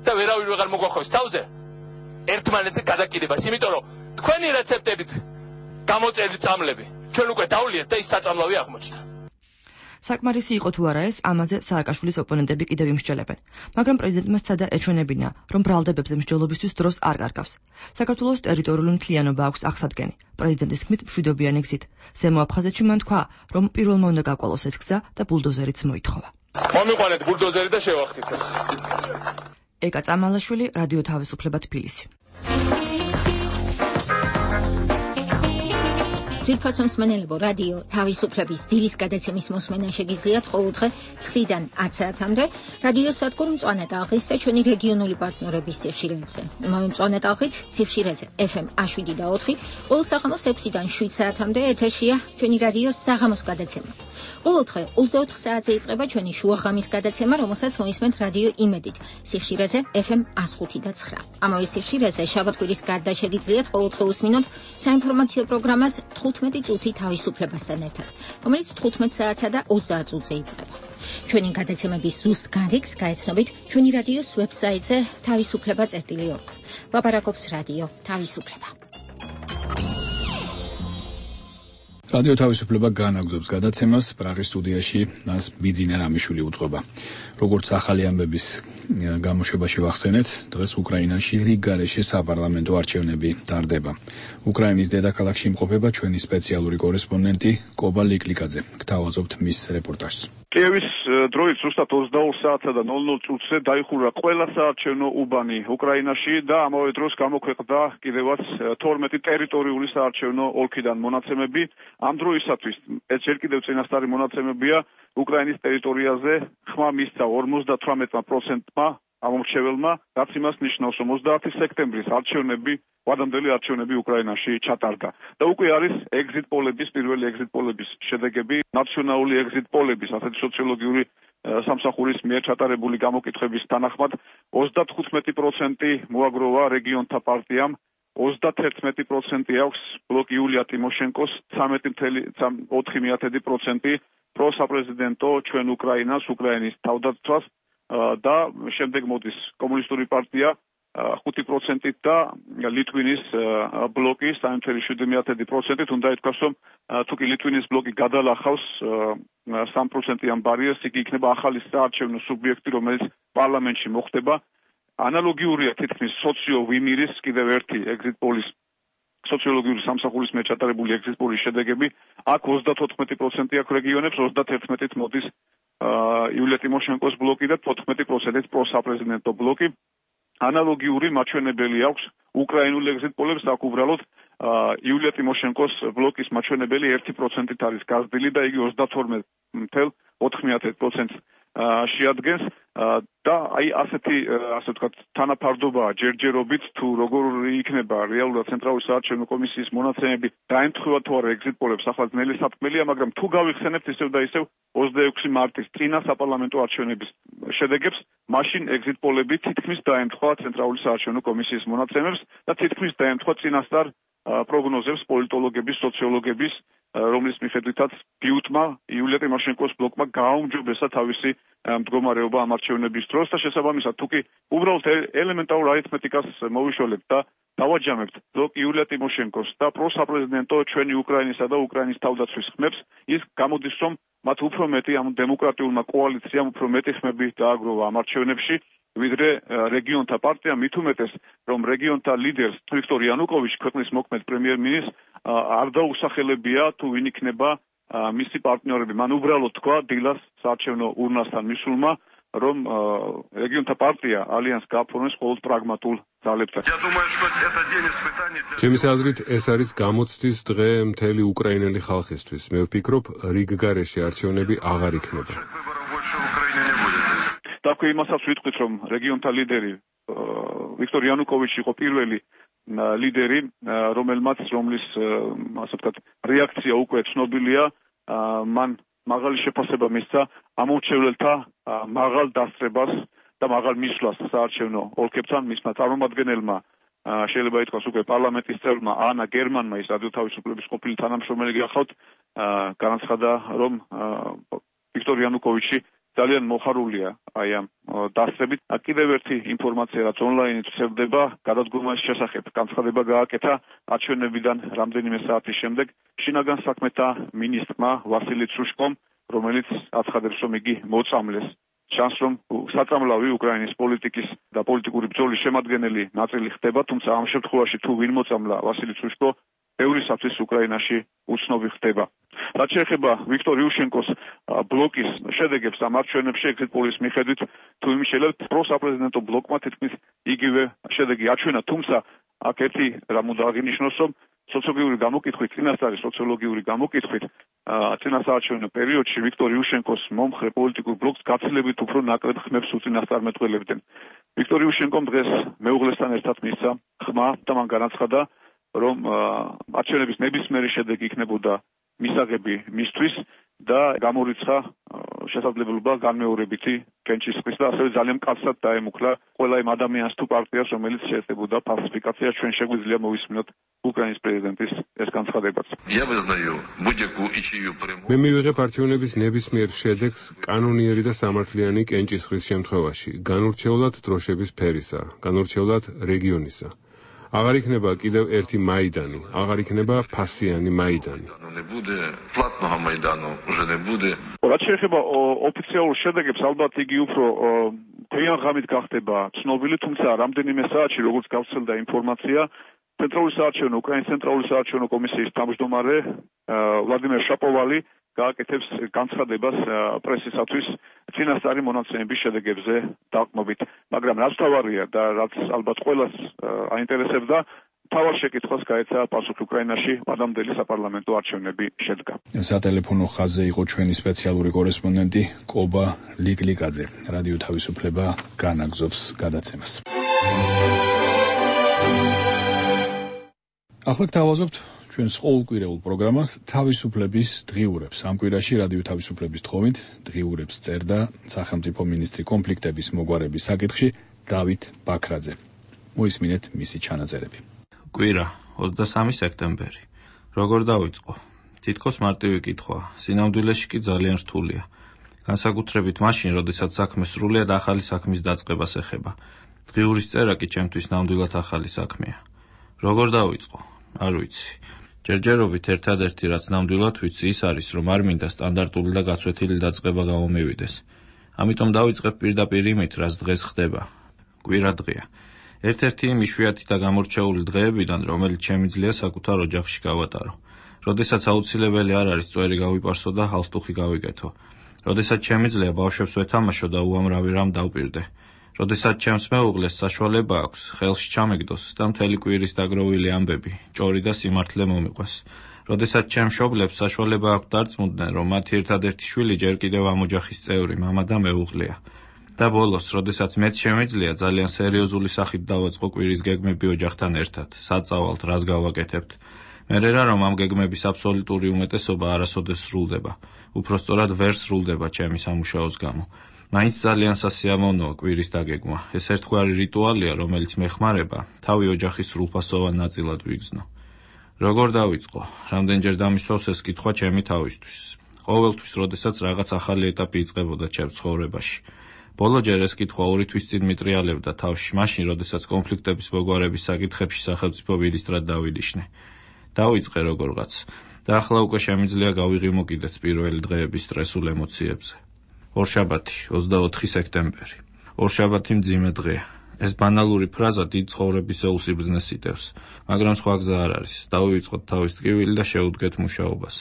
და ვერავინ ვეღარ მოგვახოს თავზე ერთმანეთზე გადაკიდებას, იმიტომ რომ თქვენი რეცეპტებით გამოწერილი წამლები ჩვენ უკვე დავლიეთ და ის საწამლავი აღმოჩნდა. საკმარისი იყო თუ არა ეს, ამაზე სააკაშვილის ოპონენტები კიდევ იმსჯელებენ, მაგრამ პრეზიდენტმა სცადა ეჩვენებინა, რომ ბრალდებებზე მსჯელობისთვის დროს არ კარგავს. საქართველოს ტერიტორიული მთლიანობა აქვს აღსადგენი. პრეზიდენტის თქმით, მშვიდობიანი გზით. ზემო აფხაზეთში მან თქვა, რომ პირველმა უნდა გაკვალოს ეს გზა და ბულდოზერიც მოითხოვა. მომიყვანეთ ბულდოზერი და შევახტით. ეკა წამალაშვილი, რადიო თავისუფლება თბილისი. ძვირფასო მსმენელებო, რადიო თავისუფლების დილის გადაცემის მოსმენა შეგიძლიათ ყოველდღე ცხრიდან ათი საათამდე რადიო სადგურ მწვანე ტალღის და ჩვენი რეგიონული პარტნიორების სიხშირეებზე. იმავე მწვანე ტალღით სიხშირეზე ეფ ემ შვიდი და ოთხი, ყოველ საღამოს ექვსიდან შვიდ საათამდე ეთერშია ჩვენი რადიოს საღამოს გადაცემა. ყოველდღე ოცდაოთხ საათზე იწყება ჩვენი შუაღამის გადაცემა, რომელსაც მოისმენთ რადიო იმედით სიხშირეზე ეფ ემ ხუთი და ცხრა. ამავე სიხშირეზე შაბათ-კვირის გარდა შეგიძლიათ ყოველდღე უსმინოთ საინფორმაციო პროგრამას თხუთმეტი წუთი თავისუფლებასთან ერთად, რომელიც თხუთმეტ საათსა და ოცდაათ წუთზე იწყება. ჩვენი გადაცემების ზუსტ გარიგს გაეცნობით ჩვენი რადიოს ვებსაიტზე თავისუფლება წერტილი ორგ. ლაპარაკობს რადიო თავისუფლება. რადიო თავისუფლება განაგზობს გადაცემას, პრაღის სტუდიაში მას ბიძინა რამიშვილი უძღვება. როგორც ახალი ამბების გამოშვებაში ვახსენეთ, დღეს უკრაინაში რიგ გარეშე საპარლამენტო არჩევნები ტარდება. უკრაინის დედაქალაქში იმყოფება ჩვენი სპეციალური კორესპონდენტი კობა ლიკლიკაძე. გთავაზობთ მის რეპორტაჟს. კიევის დროით ზუსტად ოცდაორ საათსა და ნოლ ნოლ წუთზე დაიხურა ყველა საარჩევნო უბანი უკრაინაში და ამავე დროს გამოქვეყნდა კიდევაც თორმეტი ტერიტორიული საარჩევნო ოლქიდან მონაცემები. ამ დროისათვის ეს ჯერ კიდევ წინასწარი მონაცემებია, უკრაინის ტერიტორიაზე ხმა მისცა ორმოცდათვრამეტ პროცენტმა ამომრჩეველმა, რაც იმას ნიშნავს, რომ ოცდაათი სექტემბრის არჩევნები, ვადამდელი არჩევნები უკრაინაში ჩატარდა. და უკვე არის ეგზიტ პოლების, პირველი ეგზიტ პოლების შედეგები, ნაციონალური ეგზიტ პოლების, ასეთი სოციოლოგიური სამსახურის მიერ ჩატარებული გამოკითხების თანახმად, ოცდათხუთმეტი პროცენტი მოაგროვა რეგიონთა პარტიამ, ოცდაათერთმეტი პროცენტი აქვს ბლოკ იულია ტიმოშენკოს, ცამეტი კoma ოთხი პროცენტი პროსაპრეზიდენტო ჩვენ უკრაინას, უკრაინის თავდაცვას და შემდეგ მოდის კომუნისტური პარტია ხუთი პროცენტით და ლიტვინის ბლოკი სამი შვიდ პროცენტით. უნდა ითქვას, რომ თუ კი ლიტვინის ბლოკი გადალახავს სამი პროცენტიან ბარიერს, იგი იქნება ახალი საარჩევნო სუბიექტი, რომელიც პარლამენტში მოხდება. ანალოგიურია თითქმის სოციო ვიმირის კიდევ ერთი ეგზიტ პოლის სოციოლოგიური სამსახურის მიერ ჩატარებული ეგზიტ პოლის შედეგები. აქ ოცდათოთხმეტი პროცენტი აქვს რეგიონებს, ოცდაათერთმეტით მოდის იულია ტიმოშენკოს ბლოკი და თოთხმეტი პროცენტით პროსაპრეზიდენტო ბლოკი. ანალოგიური მაჩვენებელი აქვს უკრაინულ ეგზიტ პოლებს, აქ უბრალოდ იულია ტიმოშენკოს ბლოკის მაჩვენებელი ერთი პროცენტით არის გაზრდილი და იგი ოცდათორმეტ კoma ოთხი პროცენტს შეადგენს და აი ასეთი ასე ვთქვათ თანაფარდობაა ჯერჯერობით თუ როგორ იქნება რეალურად ცენტრალური საარჩევნო კომისიის მონაცემები დაემთხვევა თუ არა ეგზიტ პოლებს, ახლა ძნელი სათქმელია, მაგრამ თუ გავიხსენებთ ისევ და ისევ ოცდაექვსი მარტის წინა საპარლამენტო არჩევნების შედეგებს, მაშინ ეგზიტ პოლები თითქმის დაემთხვა ცენტრალური საარჩევნო კომისიის მონაცემებს და თითქმის დაემთხვა წინასწარ პროგნოზებს პოლიტოლოგების, სოციოლოგების, რომლის მიხედვითაც ბიუტმა იულია ტიმოშენკოს ბლოკმა გააუმჯობესა თავისი მდგომარეობა ამ არჩევნების დროს და შესაბამისად თუ კი უბრალოდ ელემენტარულ არითმეტიკას მოვიშველებთ და დავაჯამებთ ბლოკ იულია ტიმოშენკოს და პროსაპრეზიდენტო ჩვენი უკრაინისა და უკრაინის თავდაცვის ხმებს, ის გამოდის, რომ მათ უფრო მეტი ამ დემოკრატიულმა კოალიციამ უფრო მეტი ხმები დააგროვა ამ არჩევნებში ვიდრე რეგიონთა პარტიამ, მით უმეტეს, რომ რეგიონთა ლიდერს ვიქტორ იანუკოვიჩი, ქვეყნის მოქმედ პრემიერ-მინისტრს არ დაუსახელებია თუ ვინ იქნება მისი პარტნიორები. მან უბრალოდ თქვა დილას საარჩევნო ურნასთან მისულმა, რომ რეგიონთა პარტია ალიანს გააფორმოს მხოლოდ პრაგმატულ ძალებთან. ჩემის აზრით, ეს არის გამოცდის დღე მთელი უკრაინელი ხალხისთვის. მე ვფიქრობ, რიგ გარეშე არჩევნები აღარ იქნება. და იმასაც ვიტყვით, რომ რეგიონთა ლიდერი ვიქტორ იანუკოვიჩი იყო პირველი ლიდერი, რომელმაც რომლის ასე ვთქვათ რეაქცია უკვე ცნობილია, მან მაღალი შეფასება მისცა ამორჩევლელთა მაღალ დასწრებას და მაღალ მისვლას საარჩევნო ოლქებთან. მისმა წარმომადგენელმა შეიძლება ითქვას უკვე პარლამენტის წევრმა ანა გერმანმა, ის რადიო თავისუფლების ყოფილი თანამშრომელი გახლავთ, განაცხადა, რომ ვიქტორ იანუკოვიჩი ძალიან მოხარულია აი ამ დასწრებით. კიდევ ერთი ინფორმაცია, რაც ონლაინით ვრცელდება, გადადგომის შესახებ განცხადება გააკეთა არჩევნებიდან რამდენიმე საათის შემდეგ შინაგან საქმეთა მინისტრმა ვასილი ცუშკომ, რომელიც აცხადებს, რომ იგი მოწამლეს. ჩანს, რომ საწამლავი უკრაინის პოლიტიკის და პოლიტიკური ბრძოლის შემადგენელი ნაწილი ხდება, თუმცა ამ შემთხვევაში თუ ვინ მოწამლა ვასილი ცუშკო, ბევრისათვის უკრაინაში უცნობი ხდება. რაც შეეხება ვიქტორ იუშენკოს ბლოკის შედეგებს ამ არჩევნებში exit polls მიხედვით, თუ იმის შეიძლება პროსაპრეზიდენტო ბლოკმა თითქმის იგივე შედეგი აჩვენა, თუმცა აქ ერთი რამ უნდა აღინიშნოს, რომ სოციოლოგიური გამოკითხვით, წინასწარი სოციოლოგიური გამოკითხვით, წინასაარჩევნო პერიოდში ვიქტორ იუშენკოს მომხრე პოლიტიკურ ბლოკს გაცილებით უფრო ნაკლებ ხმებს უწინასწარმეტყველებდნენ. ვიქტორ იუშენკომ დღეს მეუღლესთან ერთად მისცა ხმა და მან განაცხადა, რომ არჩევნების ნებისმიერი შედეგი იქნებოდა მისაღები მისთვის და გამორიცხა შესაძლებლობა განმეორებითი კენჭისყრის და ასევე ძალიან მკაცრად დაემუქრა ყველა იმ ადამიანს თუ პარტიას, რომელიც შეეცდებოდა ფალსიფიკაციას. ჩვენ შეგვიძლია მოვისმინოთ უკრაინის პრეზიდენტის ეს განცხადებაც. მე მივიღებ არჩევნების ნებისმიერ შედეგს კანონიერი და სამართლიანი კენჭისყრის შემთხვევაში, განურჩევლად დროშების ფერისა, განურჩევლად რეგიონისა. აღარ იქნება კიდევ ერთი მაიდანი, აღარ იქნება ფასიანი მაიდანი. რაც შეეხება ოფიციალურ შედეგებს, ალბათ იგი უფრო თეიან ღამით გახდება ცნობილი, თუმცა რამდენიმე საათში, როგორც გავრცელდა ინფორმაცია, ცენტრალური საარჩევნო უკრაინის ცენტრალური საარჩევნო კომისიის თავმჯდომარე ვლადიმერ შაპოვალი გააკეთებს განცხადებას პრესისათვის წინასწარი მონაცემების შედეგებზე დაყრდნობით. მაგრამ რაც თავარია და რაც ალბათ ყველას აინტერესებდა, თავარ შეკითხვას გაეცა პასუხი უკრაინაში მადამდელი საპარლამენტო არჩევნები შედგა. სატელეფონო ხაზზე იყო ჩვენი სპეციალური კორესპონდენტი კობა ლიკლიკაძე. რადიო თავისუფლება განაგზობს გადაცემას. ახლა გთავაზობთ ჩვენს ყოველკვირეულ პროგრამას თავისუფლების დღიურებს. ამ კვირაში რადიო თავისუფლების თხოვით დღიურებს წერდა სახელმწიფო მინისტრი კონფლიქტების მოგვარების საკითხში დავით ბაქრაძე. მოისმინეთ მისი ჩანაწერები. კვირა ოცდამესამე სექტემბერი. როგორ დავიწყო? თითქოს მარტივი კითხვა, სინამდვილეში კი ძალიან რთულია. განსაკუთრებით მაშინ, როდესაც საქმე სრულიად ახალი საქმის დაწყებას ეხება. დღიურის წერა კი ჩემთვის ნამდვილად ახალი საქმეა. როგორ დავიწყო? არ ვიცი. ჯერჯერობით ერთადერთი რაც ნამდვილად ვიცი ის არის, რომ არ მინდა სტანდარტული და გაცვეთილი დაწყება გამომივიდეს. ამიტომ დავიწყებ პირდაპირ იმით, რაც დღეს ხდება. კვირა დღეა. ერთ-ერთი იმ იშვიათი და გამორჩეული დღეებიდან, რომელიც შემიძლია საკუთარ ოჯახში გავატარო. როდესაც აუცილებელი არ არის წვერი გავიპარსო და ჰალსტუხი გავიკეთო. როდესაც შემიძლია ბავშვებს ვეთამაშო და უამრავი რამ დავპირდე. როდესაც ჩემს მეუღლეს საშუალება აქვს ხელში ჩამეგდოს და მთელი კვირის დაგროვილი ამბები, ჭორი და სიმართლე მომიყვეს. როდესაც ჩემ მშობლებს საშუალება აქვს დარწმუნდნენ, რომ მათი ერთადერთი შვილი ჯერ კიდევ ამ ოჯახის წევრი, მამა და მეუღლეა. და ბოლოს, როდესაც მეც შემიძლია ძალიან სერიოზული სახით დავაწყო კვირის გეგმები ოჯახთან ერთად, საწავალთ, რას გავაკეთებთ. მერე რა რომ ამ გეგმების აბსოლუტური უმეტესობა არასოდეს სრულდება. უпростоრად ვერ სრულდება ჩემი სამუშაოს გამო. მაინც ძალიან სასიამოვნოა კვირის დაგეგმა. ეს ერთგვარი რიტუალია, რომელიც მეხმარება თავი ოჯახის სრულფასოვან ნაწილად ვიგრძნო. როგორ დავიწყო? რამდენჯერ დამისვავს ეს კითხვა ჩემი თავისთვის. ყოველთვის, როდესაც რაღაც ახალი ეტაპი იწყებოდა ჩემს ცხოვრებაში. ბოლოჯერ ეს კითხვა ორი თვის წინ მიტრიალებდა თავში, მაშინ, როდესაც კონფლიქტების მოგვარების საკითხებში სახელმწიფო მინისტრად დავინიშნე. დავიწყე როგორღაც და ახლა უკვე შემიძლია გავიღიმო კიდეც პირველი დღეების სტრესულ ემოციებზე. ორშაბათი, ოცდაოთხი სექტემბერი. ორშაბათი მძიმე დღეა. ეს ბანალური ფრაზა დიდ ცხოვრებისეულ სიბრძნეს იტევს, მაგრამ სხვა გზა არ არის. დავივიწყოთ თავის ტკივილი და შევუდგეთ მუშაობას.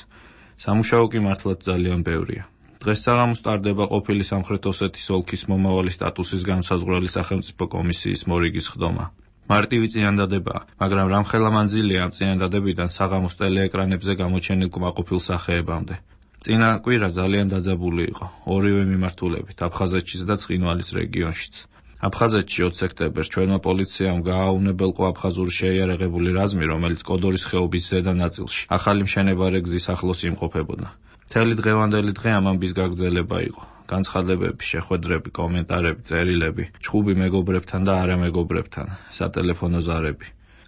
სამუშაო კი მართლაც ძალიან ბევრია. დღეს საღამოს ტარდება ყოფილი სამხრეთ ოსეთის ოლქის მომავალი სტატუსის განსაზღვრელი სახელმწიფო კომისიის მორიგის ხდომა. მარტივი წინადადებაა, მაგრამ რამხელა მანძილია ამ წინადადებიდან საღამოს ტელეეკრანებზე გამოჩენილ კმაყოფილ სახეებამდე. წინა კვირა ძალიან დაძაბული იყო, ორივე მიმართულებით, აფხაზეთშიც და ცხინვალის რეგიონშიც. აფხაზეთში ოც სექტემბერს ჩვენმა პოლიციამ გააუნებელყო აფხაზური შეიარაღებული რაზმი, რომელიც კოდორის ხეობის ზედა ნაწილში ახალი მშენებარე გზის ახლოს იმყოფებოდა. მთელი დღევანდელი დღე ამ ამბის გაგრძელება იყო. განცხადებები, შეხვედრები, კომენტარები, წერილები, ჩხუბი მეგობრებთან და არამეგობრებთან, სატელეფონო ზარები.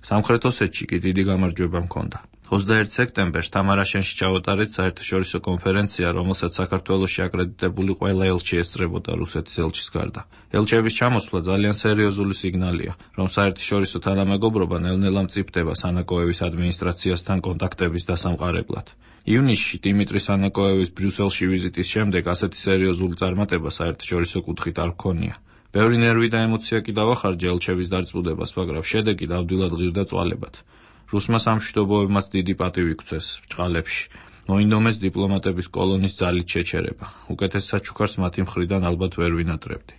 სამხრეთ ოსეთში კი დიდი გამარჯვება მქონდა. ოცდაერთი სექტემბერს თამარაშენში ჩაუტარეთ საერთაშორისო კონფერენცია, რომელსაც საქართველოში აკრედიტებული ყველა ელჩი ესწრებოდა რუსეთის ელჩის გარდა. ელჩების ჩამოსვლა ძალიან სერიოზული სიგნალია, რომ საერთაშორისო თანამეგობრობა ნელ-ნელა მწიფდება სანაკოევის ადმინისტრაციასთან კონტაქტების დასამყარებლად. ივნისში დიმიტრი სანაკოევის ბრიუსელში ვიზიტის შემდეგ ასეთი სერიოზული წარმატება საერთაშორისო კუთხით არ ჰქონია. ბევრი ნერვი და ემოცია კი დავახარჯა ელჩების დარწმუნებას, მაგრამ შედეგი დავდილად ღირდა წვალებად. რუსმა სამშვიდობოებმაც დიდი პატივი გცეს ბჭყალებში. მოინდომეს დიპლომატების კოლონის ძალით შეჩერება. უკეთეს საჩუქარს მათი მხრიდან ალბათ ვერ ვინატრებდი.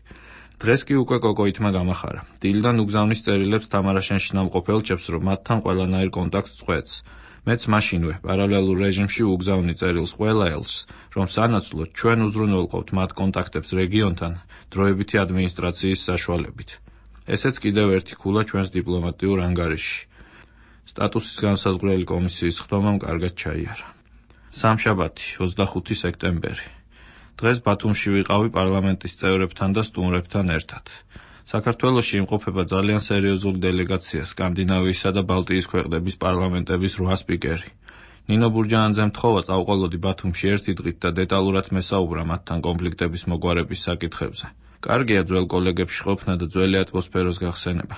დღეს კი უკვე კოკოითმა გამახარა. დილიდან უგზავნის წერილებს თამარაშენში ნამყოფ ელჩებს, რომ მათთან ყველანაირ კონტაქტს წყვეტს. მეც მაშინვე პარალელურ რეჟიმში უგზავნი წერილს ყველა ელჩს, რომ სანაცვლოდ ჩვენ უზრუნველყოფთ მათ კონტაქტებს რეგიონთან დროებითი ადმინისტრაციის საშუალებით. ესეც კიდევ ერთი ქულა ჩვენს დიპლომატიურ ანგარიშში. სტატუსის განსაზღვრელი კომისიის ხდომამ კარგად ჩაიარა. სამშაბათი, ოცდახუთი სექტემბერი. დღეს ბათუმში ვიყავი პარლამენტის წევრებთან და სტუმრებთან ერთად. საქართველოში იმყოფება ძალიან სერიოზული დელეგაცია სკანდინავიისა და ბალტიის ქვეყნების პარლამენტების რვა სპიკერი. ნინო ბურჯაანძემ თხოვა წავყოლოდი ბათუმში ერთი დღით და დეტალურად მესაუბრა მათთან კონფლიქტების მოგვარების საკითხებზე. კარგია ძველ კოლეგებში ყოფნა და ძველი ატმოსფეროს გახსენება.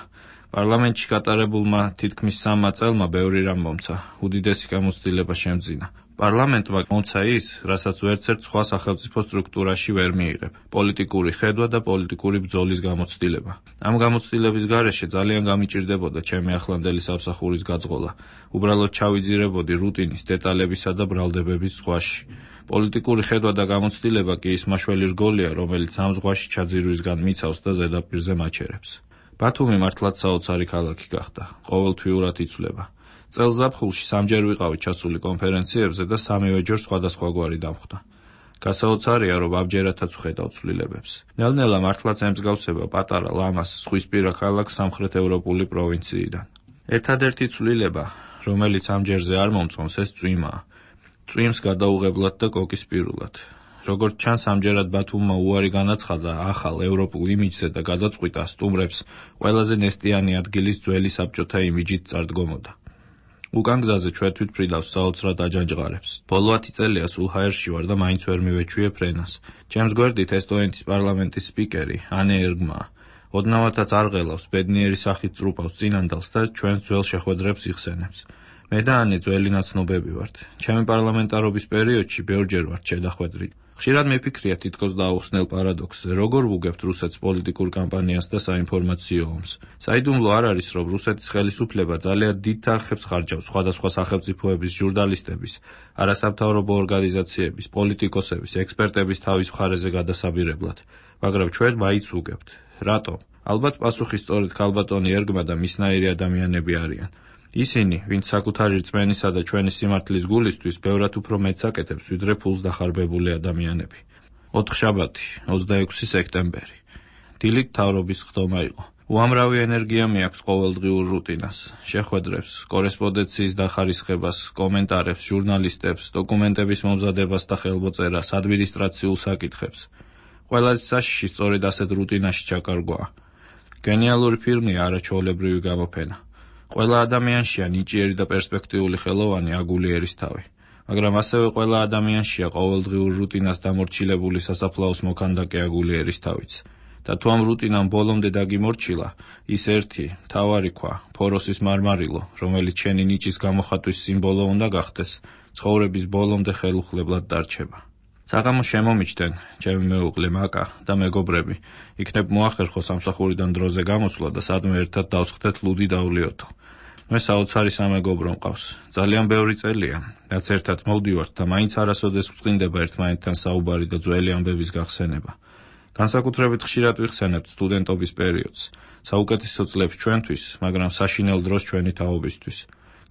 პარლამენტში გატარებულმა თითქმის სამმა წელმა ბევრი რამ მომცა, უდიდესი გამოცდილება შემძინა. პარლამენტმა მომცა ის, რასაც ვერცერთ სხვა სახელმწიფო სტრუქტურაში ვერ მიიღებ, პოლიტიკური ხედვა და პოლიტიკური ბრძოლის გამოცდილება. ამ გამოცდილების გარეშე ძალიან გამიჭირდებოდა ჩემი ახლანდელი სამსახურის გაძღოლა. უბრალოდ ჩავიძირებოდი რუტინის, დეტალებისა და ბრალდებების ზღვაში. პოლიტიკური ხედვა და გამოცდილება კი ის მაშველი რგოლია, რომელიც ამ ზღვაში ჩაძირვისგან მიცავს და ზედაპირზე მაჩერებს. ბათუმი მართლაც საოცარი ქალაქი გახდა, ყოველთვიურად იცვლება. წელს ზაფხულში სამჯერ ვიყავი ჩასული კონფერენციებზე და სამივე ჯერ სხვადასხვაგვარი დამხვდა. გასაოცარია, რომ ამჯერადაც ვხედავ ცვლილებებს. ნელ-ნელა მართლაც ემსგავსება პატარა ლამას ზღვისპირა ქალაქს სამხრეთ ევროპული პროვინციიდან. ერთადერთი ცვლილება, რომელიც ამჯერზე არ მომწონს, ეს წვიმაა. წვიმს გადაუღებლად და კოკისპირულად. როგორც ჩანს, ამჯერად ბათუმმა უარი განაცხადა ახალ ევროპულ იმიჯზე და გადაწყვიტა სტუმრებს ყველაზე ნესტიანი ადგილის ძველი საბჭოთა იმიჯით წარდგომოდა. უკან გზაზე ჩვეთვით ფრიდავს საოცრად აჯანჯღარებს. ბოლო ათი წელია სულ ჰაერში ვარ და მაინც ვერ მივეჩვიე ფრენას. ჩემს გვერდით ესტონეთის პარლამენტის სპიკერი ანე ერგმაა. ოდნავათაც არ ღელავს, ბედნიერი სახით წრუპავს წინანდალს და ჩვენს ძველ შეხვედრებს იხსენებს. მე და ანე ძველი ნაცნობები ვართ. ჩემი პარლამენტარობის პერიოდში ბევრჯერ ვართ შედახვედრით. ხშირად მიფიქრია თითქოს დაუხსნელ პარადოქსზე, როგორ ვუგებთ რუსეთს პოლიტიკურ კამპანიას და საინფორმაციო ომს. საიდუმლო არ არის, რომ რუსეთის ხელისუფლება ძალიან დიდ თანხებს ხარჯავს სხვადასხვა სახელმწიფოების ჟურნალისტების, არასამთავრობო ორგანიზაციების, პოლიტიკოსების, ექსპერტების თავის მხარეზე გადასაბირებლად, მაგრამ ჩვენ მაინც ვუგებთ. რატომ? ალბათ პასუხი სწორედ ქალბატონი ერგმა და მისნაირი ადამიანები არიან. ისინი, ვინც საკუთარი რწმენისა და ჩვენი სიმართლის გულისთვის ბევრად უფრო მეტს აკეთებს, ვიდრე ფულს დახარბებული ადამიანები. ოთხშაბათი, ოცდაექვსი სექტემბერი. დილით მთავრობის ხდომა იყო. უამრავი ენერგია მიაქვს ყოველდღიურ რუტინას, შეხვედრებს, კორესპონდენციის დახარისხებას, კომენტარებს, ჟურნალისტებს, დოკუმენტების მომზადებას და ხელმოწერას, ადმინისტრაციულ საკითხებს. ყველაზე საშიში სწორედ ასეთ რუტინაში ჩაკარგვაა. გენიალური ფილმია არაჩვეულებრივი გამოფენა. ყველა ადამიანშია ნიჭიერი და პერსპექტიული ხელოვანი აგულიერის თავი, მაგრამ ასევე ყველა ადამიანშია ყოველდღიურ რუტინას დამორჩილებული სასაფლაოს მოქანდაკე აგულიერის თავიც. და თუ ამ რუტინამ ბოლომდე დაგიმორჩილა, ის ერთი, მთავარი ქვა, ფოროსის მარმარილო, რომელიც შენი ნიჭის გამოხატვის სიმბოლო უნდა გახდეს, ცხოვრების ბოლომდე ხელუხლებლად დარჩება. საღამო შემომიჩდნენ, ჩემი მეუღლე მაკა და მეგობრები, იქნებ მოახერხო სამსახურიდან დროზე გამოსვლა და სადმე ერთად დავსხდეთ ლუდი დავლიოთო. მე საოცარი სამეგობრო მყავს. ძალიან ბევრი წელია, რაც ერთად მოვდივართ და მაინც არასოდეს გვწყინდება ერთმანეთთან საუბარი და ძველი ამბების გახსენება. განსაკუთრებით ხშირად ვიხსენებთ სტუდენტობის პერიოდს, საუკეთესო წლებს ჩვენთვის, მაგრამ საშინელ დროს ჩვენი თაობისთვის.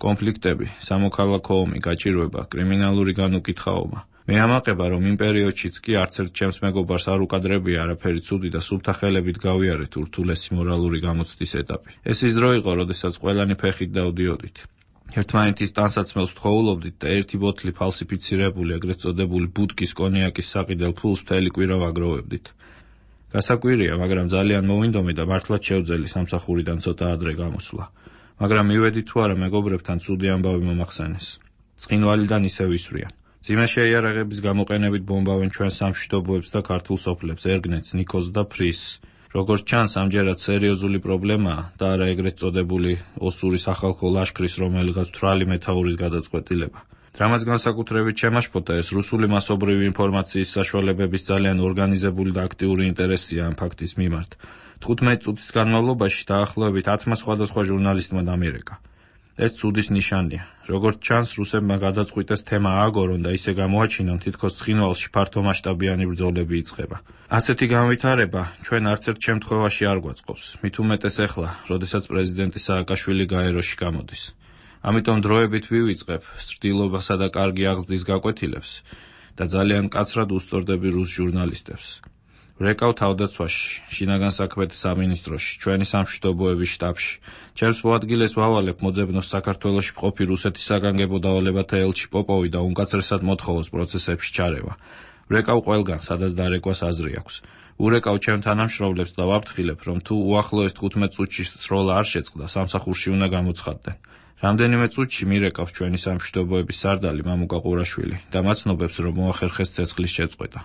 კონფლიქტები, სამოქალაქო ომი, გაჭირვება, კრიმინალური განუკითხაობა. მე ამაყება, რომ იმ პერიოდშიც კი არც ერთ ჩემს მეგობარს არ უკადრებია არაფერი ცუდი და სუფთა ხელებით გავიარეთ ურთულესი მორალური გამოცდის ეტაპი. ეს ის დრო იყო, როდესაც ყველანი ფეხით დავდიოდით. ერთმანეთის ტანსაცმელს ვთხოვულობდით და ერთი ბოთლი ფალსიფიცირებული, ეგრეთ წოდებული ბუდკის კონიაკის საყიდელ ფულს მთელი კვირა ვაგროვებდით. გასაკვირია, მაგრამ ძალიან მოვინდომე და მართლაც შევძელი სამსახურიდან ცოტა ადრე გამოსვლა. მაგრამ მივედი თუ არა მეგობრებთან ცუდი ამბავი მომახსენეს. ცხინვალიდან ისევ ისვრიან. მძიმე შეიარაღების გამოყენებით ბომბავენ ჩვენს სამშვიდობოებს და ქართულ სოფლებს, ერგნეთს, ნიქოზს და ფრისს. როგორც ჩანს, ამჯერად სერიოზული პრობლემაა და არა ეგრეთ წოდებული ოსური სახალხო ლაშქრის რომელიღაც თვრალი მეთაურის გადაწყვეტილება. რამაც განსაკუთრებით შემაშფოთა ეს რუსული მასობრივი ინფორმაციის საშუალებების ძალიან ორგანიზებული და აქტიური ინტერესია ამ ფაქტის მიმართ. თხუთმეტი წუთის განმავლობაში დაახლოებით ათმა სხვადასხვა ჟურნალისტმა დამირეკა. ეს ცუდის ნიშანია. როგორც ჩანს, რუსებმა გადაწყვიტეს თემა ააგორონ და ისე გამოაჩინონ, თითქოს ცხინვალში ფართომასშტაბიანი ბრძოლები იწყება. ასეთი განვითარება ჩვენ არც ერთ შემთხვევაში არ გვაწყობს, მით უმეტეს ახლა, როდესაც პრეზიდენტი სააკაშვილი გაეროში გამოდის. ამიტომ დროებით ვივიწყებ სრდილობასა და კარგი აღზრდის გაკვეთილებს და ძალიან მკაცრად უსწორდები რუს ჟურნალისტებს. ვრეკავ თავდაცვაში, შინაგან საქმეთა სამინისტროში, ჩვენი სამშვიდობოების შტაბში. ჩემს მოადგილეს ვავალებ მოძებნოს საქართველოში მყოფი რუსეთის საგანგებო დავალებათა ელჩი პოპოვი და უმკაცრესად მოთხოვოს პროცესებში ჩარევა. ვრეკავ ყველგან, სადაც დარეკვას აზრი აქვს. ურეკავ ჩემ თანამშრომლებს და ვაფრთხილებ, რომ თუ უახლოეს თხუთმეტ წუთში სროლა არ შეწყდა, სამსახურში უნდა გამოცხადდნენ. რამდენიმე წუთში მირეკავს ჩვენი სამშვიდობოების სარდალი მამუკა ყურაშვილი და მაცნობებს, რომ მოახერხეს ცეცხლის შეწყვეტა.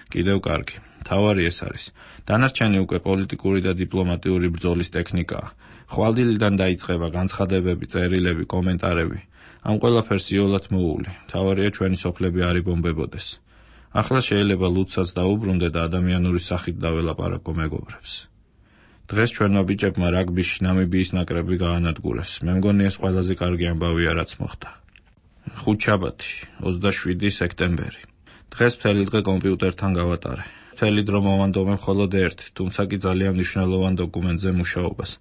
კიდევ კარგი. თავარი ეს არის. დანარჩენი უკვე პოლიტიკური და დიპლომატიური ბრძოლის ტექნიკაა. ხვალდილიდან დაიწყება განცხადებები, წერილები, კომენტარები. ამ ყველაფერს იოლად მოული. თავარია ჩვენი სოფლები არ იბომბებოდეს. ახლა შეიძლება ლუცსაც დაუბრუნდე და ადამიანური სახით დაველაპარაკო მეგობრებს. დღეს ჩვენმა ბიჭებმა რაგბიში ნამიბიის ნაკრები გაანადგურეს. მე მგონი ეს ყველაზე კარგი ამბავია, რაც მოხდა. ხუთშაბათი, ოცდაშვიდი სექტემბერი. დღეს მთელი დღე კომპიუტერთან გავატარე. მთელი დრო მოვანდომე მხოლოდ ერთ, თუმცა კი ძალიან მნიშვნელოვან დოკუმენტზე მუშაობას.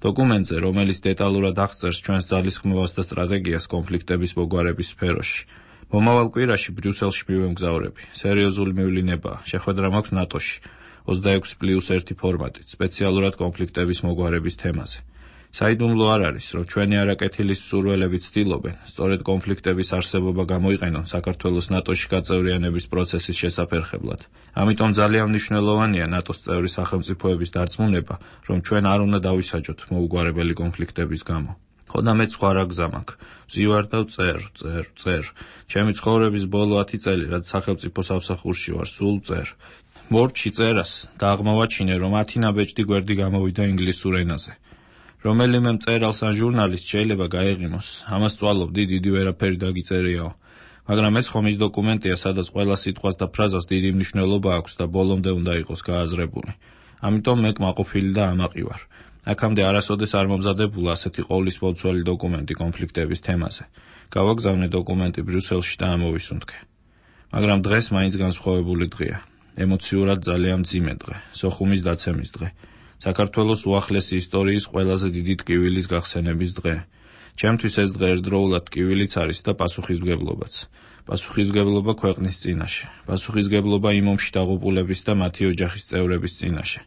დოკუმენტზე, რომელიც დეტალურად აღწერს ჩვენს ძალისხმევას და სტრატეგიას კონფლიქტების მოგვარების სფეროში. მომავალ კვირაში ბრიუსელში მივემგზავრები. სერიოზული მივლინებაა. შეხვედრა მაქვს ნატოში. ოცდაექვსი პლუს ერთი ფორმატით, სპეციალურად კონფლიქტების მოგვარების თემაზე. საიდუმლო არ არის, რომ ჩვენი არაკეთილის მსურველები ცდილობენ, სწორედ კონფლიქტების არსებობა გამოიყენონ საქართველოს ნატოში გაწევრიანების პროცესის შესაფერხებლად. ამიტომ ძალიან მნიშვნელოვანია ნატოს წევრი სახელმწიფოების დარწმუნება, რომ ჩვენ არ უნდა დავისაჯოთ მოუგვარებელი კონფლიქტების გამო. ხოდა მე სხვა რა გზა მაქვს. ვზივარ და ვწერ, წერ, წერ. ჩემი ცხოვრების ბოლო ათი წელი, რაც სახელმწიფო სამსახურში ვარ, სულ წერ. მორჩი წერას და აღმოვაჩინე, რომ ათი ნაბეჭდი გვერდი გამოვიდა ინგლისურ ენაზე. რომელიმე მწერალს ან ჟურნალისტს შეიძლება გაეღიმოს. ამას წვალობდი, დიდი ვერაფერი დაგიწერიაო. მაგრამ ეს ხომ ის დოკუმენტია, სადაც ყველა სიტყვას და ფრაზას დიდი მნიშვნელობა აქვს და ბოლომდე უნდა იყოს გააზრებული. ამიტომ მე კმაყოფილი და ამაყი ვარ. აქამდე არასოდეს არ მომზადებულა ასეთი ყოვლის მოცველი დოკუმენტი კონფლიქტების თემაზე. გავაგზავნე დოკუმენტი ბრიუსელში და ამოვისუნთქე. მაგრამ დღეს მაინც განსხვავებული დღეა. ემოციურად ძალიან მძიმე დღე, სოხუმის დაცემის დღე. საქართველოს უახლესი ისტორიის ყველაზე დიდი ტკივილის გახსენების დღე. ჩემთვის ეს დღე ერთდროულად ტკივილიც არის და პასუხისმგებლობაც. პასუხისმგებლობა ქვეყნის წინაშე, პასუხისმგებლობა იმ ომში დაღუპულების და მათი ოჯახის წევრების წინაშე,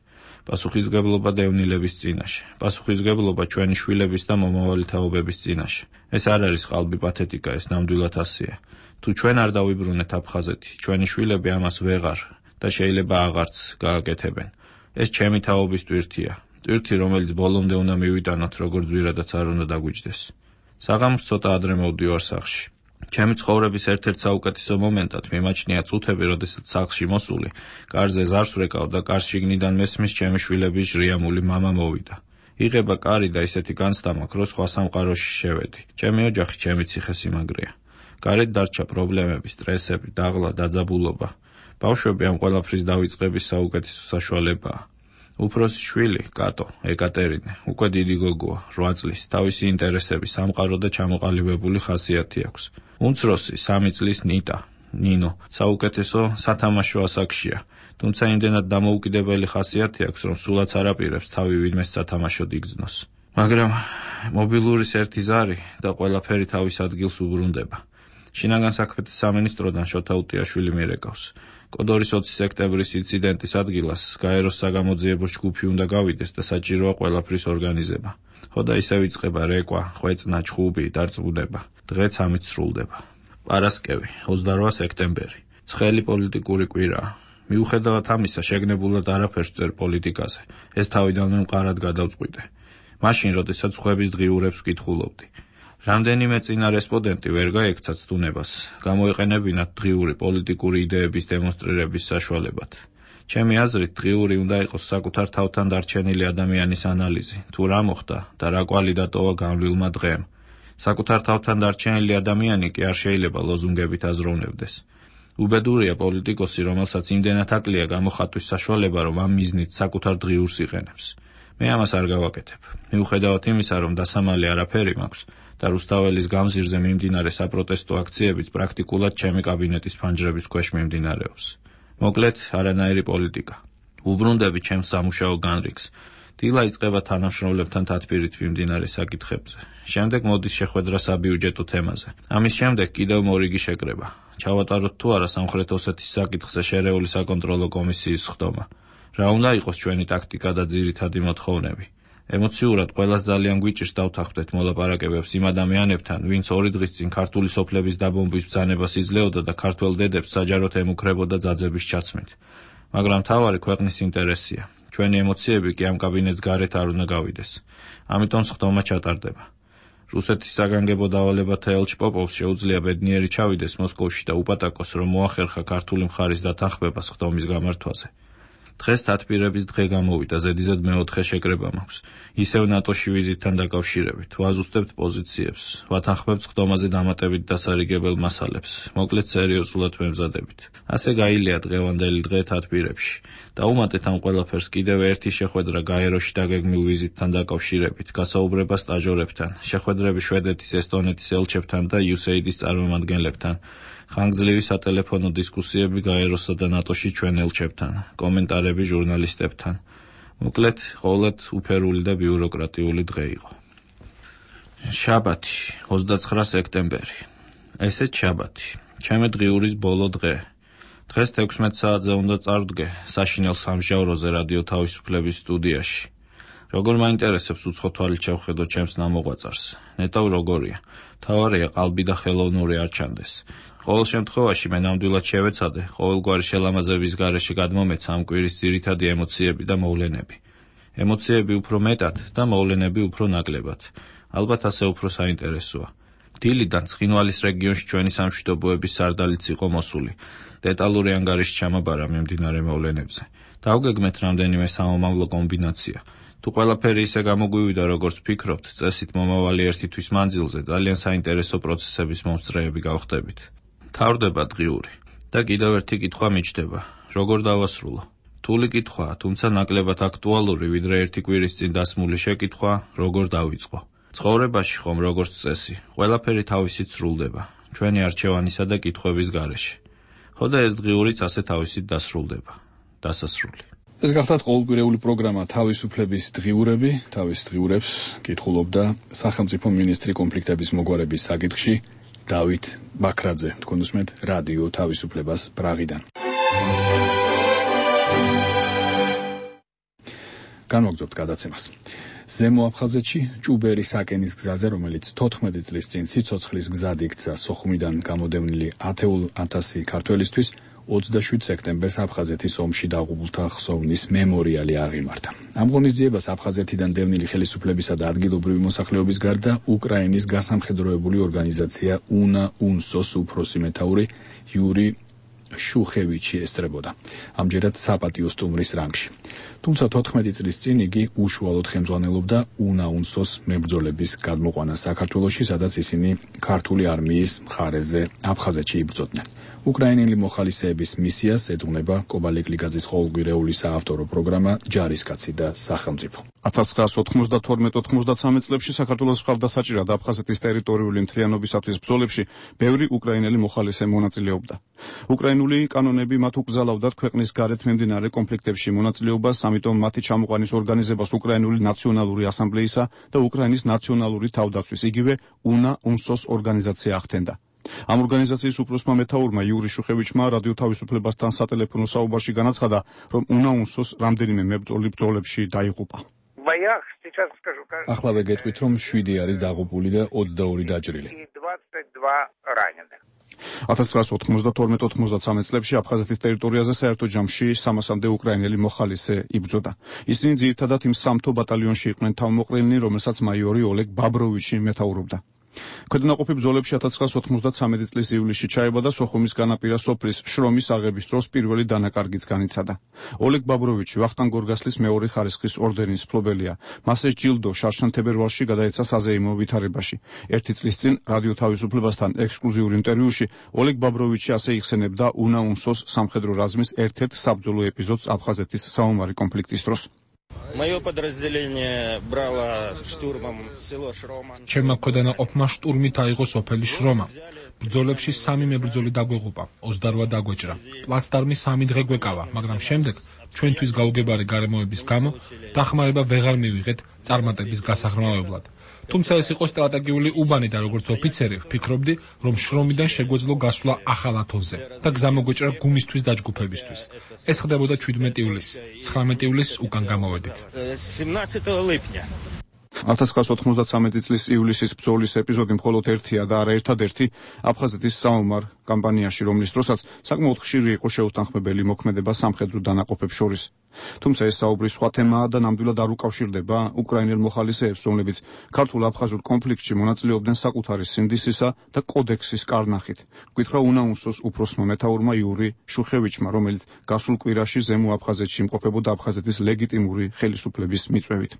პასუხისმგებლობა დევნილების წინაშე, პასუხისმგებლობა ჩვენი შვილების და მომავალი თაობების წინაშე. ეს არ არის ყალბი პათეტიკა, ეს ნამდვილად ასეა. თუ ჩვენ არ დავიბრუნეთ აფხაზეთი, ჩვენი შვილები ამას ვეღარ და შეიძლება აღარც გააკეთებენ. ეს ჩემი თაობის ტვირთია. ტვირთი, რომელიც ბოლომდე უნდა მივიტანოთ, როგორც ზვირადაც არ უნდა დაგვიჯდეს. საღამოს ცოტა ადრე მოვდივარ სახლში. ჩემი ცხოვრების ერთ-ერთ საუკეთესო მომენტად მიმაჩნია წუთები, როდესაც სახლში მოსული, კარზე ზარს ვრეკავ და კარს შიგნიდან მესმის ჩემი შვილების ჟრიამული მამა მოვიდა. იღება კარი და ისეთი განცდა მაქვს, რომ სხვა სამყაროში შევედი. ჩემი ოჯახი, ჩემი ციხესიმაგრეა. გარეთ დარჩა პრობლემები, სტრესები, დაღლა, დაძაბულობა. ბავშვები ამ ყველაფრის დავიწყების საუკეთესო საშუალებაა. უფროსი შვილი, კატო, ეკატერინე, უკვე დიდი გოგოა, რვა წლის, თავისი ინტერესები, სამყარო და ჩამოყალიბებული ხასიათი აქვს. უმცროსი, სამი წლის ნიტა, ნინო, საუკეთესო სათამაშო ასაკშია, თუმცა იმდენად დამოუკიდებელი ხასიათი აქვს, რომ სულაც არ აპირებს თავი ვინმეს სათამაშოდ იგრძნოს. მაგრამ მობილურის ერთი ზარი და ყველაფერი თავის ადგილს უბრუნდება. შინაგან საქმეთა სამინისტროდან შოთა უტიაშვილი მირეკავს. კოდორის ოცი სექტემბრის ინციდენტის ადგილას გაეროს საგამოძიებო ჯგუფი უნდა გავიდეს და საჭიროა ყველაფრის ორგანიზება. ხო და ისევ იწყება რეკვა, ხვეწნა, ჩხუბი, დარწმუნება. დღეც ამით სრულდება. პარასკევი, ოცდაოთხი სექტემბერი. ცხელი პოლიტიკური კვირაა. მიუხედავად ამისა, შეგნებულად არაფერს წერ პოლიტიკაზე. ეს თავიდანვე მყარად გადავწყვიტე. მაშინ, როდესაც ხვების დღიურებს ვკითხულობდი. რამდენიმე წინა რესპონდენტი ვერ გაექცა ცდუნებას, გამოეყენებინათ დღიური პოლიტიკური იდეების დემონსტრირების საშუალებად. ჩემი აზრით, დღიური უნდა იყოს საკუთარ თავთან დარჩენილი ადამიანის ანალიზი, თუ რა მოხდა და რა კვალი დატოვა განვლილმა დღემ. საკუთარ თავთან დარჩენილი ადამიანი კი არ შეიძლება ლოზუნგებით აზროვნებდეს. უბედურია პოლიტიკოსი, რომელსაც იმდენად აკლია გამოხატვის საშუალება, რომ ამ მიზნით საკუთარ დღიურს იყენებს. მე ამას არ გავაკეთებ. მიუხედავად იმისა, რომ დასამალი არაფერი მაქვს და რუსთაველის გამზირზე მიმდინარე საპროტესტო აქციებიც პრაქტიკულად ჩემი კაბინეტის ფანჯრების ქვეშ მიმდინარეობს. მოკლედ, არანაირი პოლიტიკა. უბრუნდები ჩემს სამუშაო განრიგს. დილა იწყება თანამშრომლებთან თათბირით მიმდინარე საკითხებზე. შემდეგ მოდის შეხვედრა საბიუჯეტო თემაზე. ამის შემდეგ კიდევ მორიგი შეკრება. ჩავატაროთ თუ არა სამხრეთ ოსეთის საკითხზე შერეული საკონტროლო კომისიის ხდომა. რა უნდა იყოს ჩვენი ტაქტიკა და ძირითადი მოთხოვნები. ემოციურად ყველას ძალიან გვიჭირს დავთანხმდეთ მოლაპარაკებებს იმ ადამიანებთან, ვინც ორი დღის წინ ქართული სოფლების დაბომბვის ბრძანებას იძლეოდა და ქართველ დედებს საჯაროდ ემუქრებოდა ძაძების ჩაცმით. მაგრამ მთავარი ქვეყნის ინტერესია. ჩვენი ემოციები კი ამ კაბინეტს გარეთ არ უნდა გავიდეს. ამიტომ სხდომა ჩატარდება. რუსეთის საგანგებო დავალებათა ელჩ პოპოვს შეუძლია ბედნიერი ჩავიდეს მოსკოვში და უპატაკოს, რომ მოახერხა ქართული მხარის დათანხმება სხდომის გამართვაზე. დღეს თათბირების დღე გამოვიდა, ზედიზედ მეოთხე შეკრება მაქვს. ისევ ნატოში ვიზიტთან დაკავშირებით, ვაზუსტებთ პოზიციებს, ვათანხმებთ სხდომაზე დამატებით დასარიგებელ მასალებს, მოკლედ სერიოზულად ვემზადებით. ასე გაილია დღევანდელი დღე თათბირებში. დაუმატეთ ამ ყველაფერს კიდევ ერთი შეხვედრა გაეროში დაგეგმილ ვიზიტთან დაკავშირებით, გასაუბრება სტაჟორებთან, შეხვედრები შვედეთის, ესტონეთის ელჩებთან და იუ ეს ეი დის წარმომადგენლებთან. ხანგრძლივი სატელეფონო დისკუსიები გაეროსა და ნატოში ჩვენ ელჩებთან, კომენტარები ჟურნალისტებთან. მოკლედ, ყოველად უფერული და ბიუროკრატიული დღე იყო. შაბათი, ოცდაცხრა სექტემბერი. ესეც შაბათი, ჩემი დღიურის ბოლო დღე. დღეს თექვსმეტ საათზე უნდა წარვდგე საშინელ სამჟავროზე რადიო თავისუფლების სტუდიაში. როგორ მაინტერესებს უცხო თვალით შევხედო ჩემს ნამოღვაწარს. ნეტავ როგორია. თავარია ყალბი და ხელოვნური არ ჩანდეს. ყოველ შემთხვევაში მე ნამდვილად შევეცადე ყოველგვარი შელამაზების გარეშე გადმომეცა ამ კვირის ძირითადი ემოციები და მოვლენები. ემოციები უფრო მეტად და მოვლენები უფრო ნაკლებად. ალბათ ასე უფრო საინტერესოა. დილიდან ცხინვალის რეგიონში ჩვენი სამშვიდობოების სარდალიც იყო მოსული. დეტალური ანგარიში ჩამაბარა მიმდინარე მოვლენებზე. დავგეგმეთ რამდენიმე სამომავლო კომბინაცია. თუ ყველაფერი ისე გამოგვივიდა, როგორც ვფიქრობთ, წესით მომავალი ერთი თვის მანძილზე ძალიან საინტერესო პროცესების მომსწრეები გავხდებით. თავდება დღიური და კიდევ ერთი კითხვა მიჩნდება, როგორ დავასრულო. რთული კითხვაა, თუმცა ნაკლებად აქტუალური, ვიდრე ერთი კვირის წინ დასმული შეკითხვა, როგორ დავიწყო. ცხოვრებაში ხომ როგორც წესი, ყველაფერი თავისით სრულდება, ჩვენი არჩევანისა და კითხვების გარეშე. ხო და ეს დღიურიც ასე თავისით დასრულდება. დასასრული. ეს გახდათ ყოველკვირეული პროგრამა თავისუფლების დღიურები, თავის დღიურებს კითხულობდა სახელმწიფო მინისტრი კონფლიქტების მოგვარების საკითხში დავით ბაქრაძე. თქვენ უსმენთ რადიო თავისუფლებას პრაღიდან. განვაგრძობთ გადაცემას. ზემო აფხაზეთში ჭუბერის აკენის გზაზე, რომელიც თოთხმეტი წლის წინ სიცოცხლის გზად იქცა სოხუმიდან გამოდევნილი ათეულ ათასი ქართველისთვის, ოცდაშვიდ სექტემბერს აფხაზეთის ომში დაღუპულთა ხსოვნის მემორიალი აღიმართა. ამ ღონისძიებას აფხაზეთიდან დევნილი ხელისუფლებისა და ადგილობრივი მოსახლეობის გარდა უკრაინის გასამხედროებული ორგანიზაცია უნა უნსოს უფროსი მეთაური იური შუხევიჩი ესწრებოდა. ამჯერად საპატიო სტუმრის რანგში. თუმცა თოთხმეტი წლის წინ იგი უშუალოდ ხელმძღვანელობდა უნა უნსოს მებრძოლების გადმოყვანას საქართველოში, სადაც ისინი ქართული არმიის მხარეზე აფხაზეთში იბრძოდნენ. უკრაინელი მოხალისეების მისიას ეძღვნება კობალიკ ლიგაძის ყოველკვირეული საავტორო პროგრამა ჯარისკაცი და სახელმწიფო. ათას ცხრაასი ოთხმოცდათორმეტ ოთხმოცდაცამეტ წლებში საქართველოს მხარდასაჭირად აფხაზეთის ტერიტორიული მთლიანობისათვის ბრძოლებში ბევრი უკრაინელი მოხალისე მონაწილეობდა. უკრაინული კანონები მათ უკრძალავდათ ქვეყნის გარეთ მიმდინარე კონფლიქტებში მონაწილეობას, ამიტომ მათი ჩამოყვანის ორგანიზებას უკრაინული ნაციონალური ასამბლეისა და უკრაინის ნაციონალური თავდაცვის, იგივე უნა უნსოს ორგანიზაცია ახდენდა. ამ ორგანიზაციის უფროსმა მეთაურმა იური შუხევიჩმა რადიო თავისუფლებასთან სატელეფონო საუბარში განაცხადა, რომ უნაუნსოს რამდენიმე მებრძოლი ბრძოლებში დაიღუპა. ახლავე გეტყვით, რომ შვიდი არის დაღუპული და ოცდაორი დაჭრილი. ათას ცხრაასი ოთხმოცდათორმეტ ოთხმოცდათსამეტ წლებში აფხაზეთის ტერიტორიაზე საერთო ჯამში სამასამდე უკრაინელი მოხალისე იბრძოდა. ისინი ძირითადად იმ სამთო ბატალიონში იყვნენ თავმოყრილნი, რომელსაც მაიორი ოლეგ ბაბროვიჩი მეთაურობდა. ქვედანაყოფი ბრძოლებში ათას ცხრაასი ოცდაათი წლის ივლისში ჩაება და სოხუმის განაპირა სოფლის შრომის აღების დროს პირველი დანაკარგიც განიცადა. ოლეგ ბაბროვიჩი ვახტანგ გორგასლის მეორე ხარისხის ორდენის მფლობელია. მას ეს ჯილდო შარშან თებერვალში გადაეცა საზეიმო ვითარებაში. ერთი წლის წინ რადიო თავისუფლებასთან ექსკლუზიურ ინტერვიუში ოლეგ ბაბროვიჩი ასე იხსენებდა უნაუნსოს სამხედრო რაზმის ერთ-ერთ საბრძოლო ეპიზოდს აფხაზეთის საომარი კონფლიქტის დროს. ჩემმა ქვედანაყოფმა შტურმით აიღო სოფელი შრომა. ბრძოლებში სამი მებრძოლი დაგვეღუპა, ოცდარვა დაგვეჭრა. პლაცდარმი სამი დღე გვეკავა, მაგრამ შემდეგ ჩვენთვის გაუგებარი გარემოების გამო დახმარება ვეღარ მივიღეთ წარმატების გასაღრმავებლად. თუმცა ეს იყო სტრატეგიული უბანი და როგორც ოფიცერი ვფიქრობდი, რომ შრომიდან შეგვეძლო გასვლა ახალ ათონზე და გზა მოგვეჭრა გუმისთვის დაჯგუფებისთვის. ეს ხდებოდა ჩვიდმეტი ივლისს, ცხრამეტი ივლისს უკან გამოვედით. ათას ცხრაასი ოცდაათი წლის ივლისის ბრძოლის ეპიზოდი მხოლოდ ერთია და არა ერთადერთი აფხაზეთის საომარ კამპანიაში, რომლის დროსაც საკმაოდ ხშირი იყო შეუთანხმებელი მოქმედება სამხედრო დანაყოფებს შორის. თუმცა ეს საუბრის სხვა თემაა და ნამდვილად არ უკავშირდება უკრაინელ მოხალისეებს, რომლებიც ქართულ-აფხაზურ კონფლიქტში მონაწილეობდნენ საკუთარი სინდისისა და კოდექსის კარნახით. გვითხრა უნაუნსოს უფროსმა მეთაურმა იური შუხევიჩმა, რომელიც გასულ კვირაში ზემო აფხაზეთში იმყოფებოდა აფხაზეთის ლეგიტიმური ხელისუფლების მიწვევით.